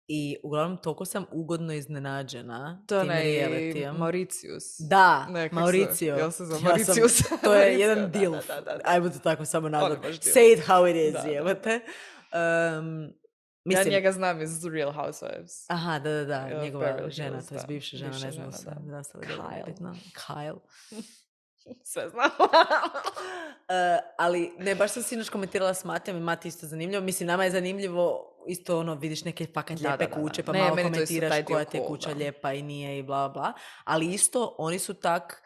I uglavnom toliko sam ugodno iznenađena To je tim onaj realitijem. Mauritius. Da, Ne, kak se- Mauricio. jel se zove Ja sam- Mauritius? to je Mauricio, jedan da, dilf. da, da, da. Ajmo to tako samo nazvat. baš dilf. Say it how it is, Da, da. jebote. Um, mislim, Ja njega znam iz The Real Housewives. aha, da, da, da, Of njegova Beverly žena, Hills, to je da. bivša žena, Bivša ne znam žena, se, da. da se li dobro Kyle. nebitno. Kyle. Sve znam. Uh, ali ne, baš sam sinoć komentirala s Matijom i Mati isto zanimljivo. Mislim, nama je zanimljivo isto ono, vidiš neke fakat Da, lijepe da, da, da. kuće, pa Ne, malo meni to isto komentiraš taj dio koja ti je cool, kuća da. lijepa i nije i bla bla. Ali isto, oni su tak,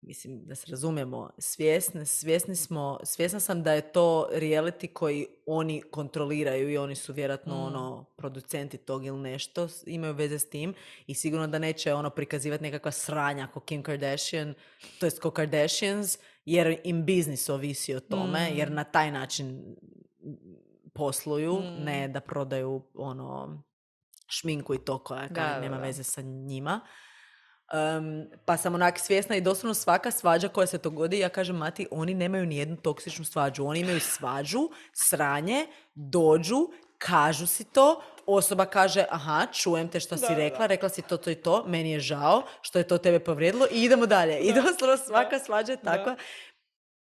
mislim, da se razumijemo, svjesni, svjesni smo, svjesna sam da je to reality koji oni kontroliraju i oni su vjerojatno Mm. ono, producenti tog ili nešto, s- imaju veze s tim i sigurno da neće ono prikazivati nekakva sranja ko Kim Kardashian, to jest ko Kardashians, jer im biznis ovisi o tome, Mm. jer na taj način posluju, Mm. ne da prodaju ono šminku i to koja Da, kaj da, nema da. veze sa njima. Um, pa sam onak svjesna i doslovno svaka svađa koja se dogodi, ja kažem Mati, oni nemaju ni jednu toksičnu svađu. Oni imaju svađu, sranje, dođu, kažu si to, osoba kaže, aha, čujem te što si Da, rekla, da. rekla si to, to i to, meni je žao što je to tebe povrijedilo i idemo dalje. I Da, doslovno svaka da, svađa je da. takva.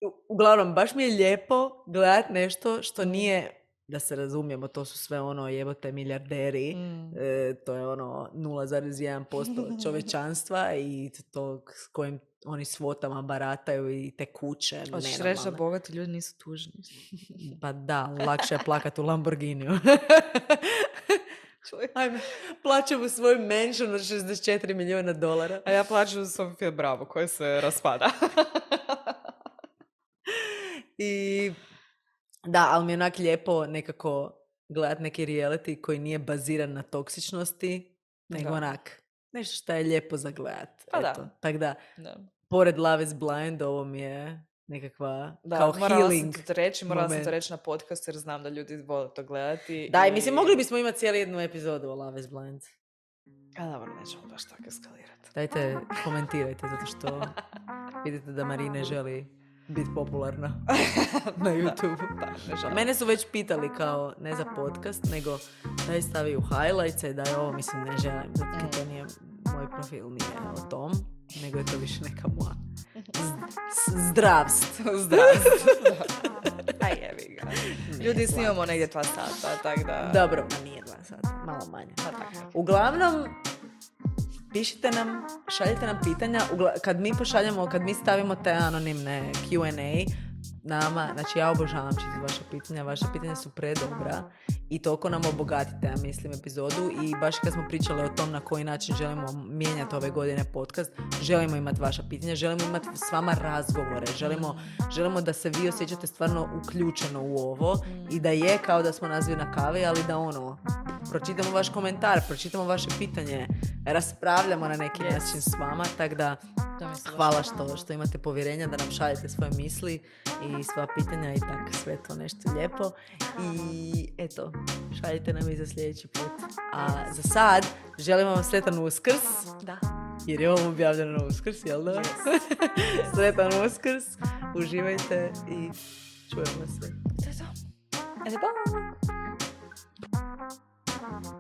U- Uglavnom, baš mi je lijepo gledat nešto što Mm. nije, da se razumijemo, to su sve ono jebote milijarderi, Mm. e, to je ono nula zarez jedan posto čovječanstva i to s kojim oni svotama barataju i te kuće Hoćeš reći da nenormalne. bogati ljudi nisu tužni. Pa da, lakše je plakat u Lamborghiniju. Čuj. Ajme, plaćam u svoj mansion od šezdeset četiri milijuna dolara. A ja plaćam za Sofia Bravo koja se raspada. I da, ali mi je onak lijepo nekako gledat neki reality koji nije baziran na toksičnosti, nego Da. onak nešto što je lijepo za gledat. Pa da. Eto. Tako da, Da. pored Love is Blind, ovo mi je nekakva Da, kao morala healing. sam to reći, morala sam moment. to reći na podcastu jer znam da ljudi vole to gledati. Da, i mislim, mogli bismo imati cijelu jednu epizodu o Love is Blind. A dobro, nećemo baš tako eskalirati. Dajte, komentirajte, zato što vidite da Marine želi biti popularna na YouTube. Da, Mene su već pitali kao, ne za podcast, nego daj stavi u highlights i daj ovo, mislim, ne želim, zato mm. to nije, moj profil nije o tom, nego je to više neka moja zdravst. Zdravst. Aj, jebi ga. Ljudi, snimamo negdje dva sata, tako da... Dobro, ma nije dva sata, malo manje. Pa tako. Uglavnom, pišite nam, šaljite nam pitanja. Ugla- kad mi pošaljamo, kad mi stavimo te anonimne Q and A nama, znači ja obožavam čitati vaše pitanja, vaše pitanja su predobra i toliko nam obogatite, ja mislim, epizodu i baš kad smo pričali o tom na koji način želimo mijenjati ove godine podcast, želimo imati vaša pitanja, želimo imati s vama razgovore, želimo, želimo da se vi osjećate stvarno uključeno u ovo i da je kao da smo nazvi na kavi, ali da ono, pročitamo vaš komentar, pročitamo vaše pitanje, raspravljamo na neki yes. način s vama, tako da hvala što, što imate povjerenja da nam šaljete svoje misli i sva pitanja i tako sve to nešto lijepo. I eto, šaljite nam i za sljedeći put. A za sad, želimo vam sretan Uskrs. Da. Jer je ovo objavljeno na Uskrs, jel da? Yes. Sretan Uskrs, uživajte i čujemo se. To je to. Ajde, bye! Uh-huh.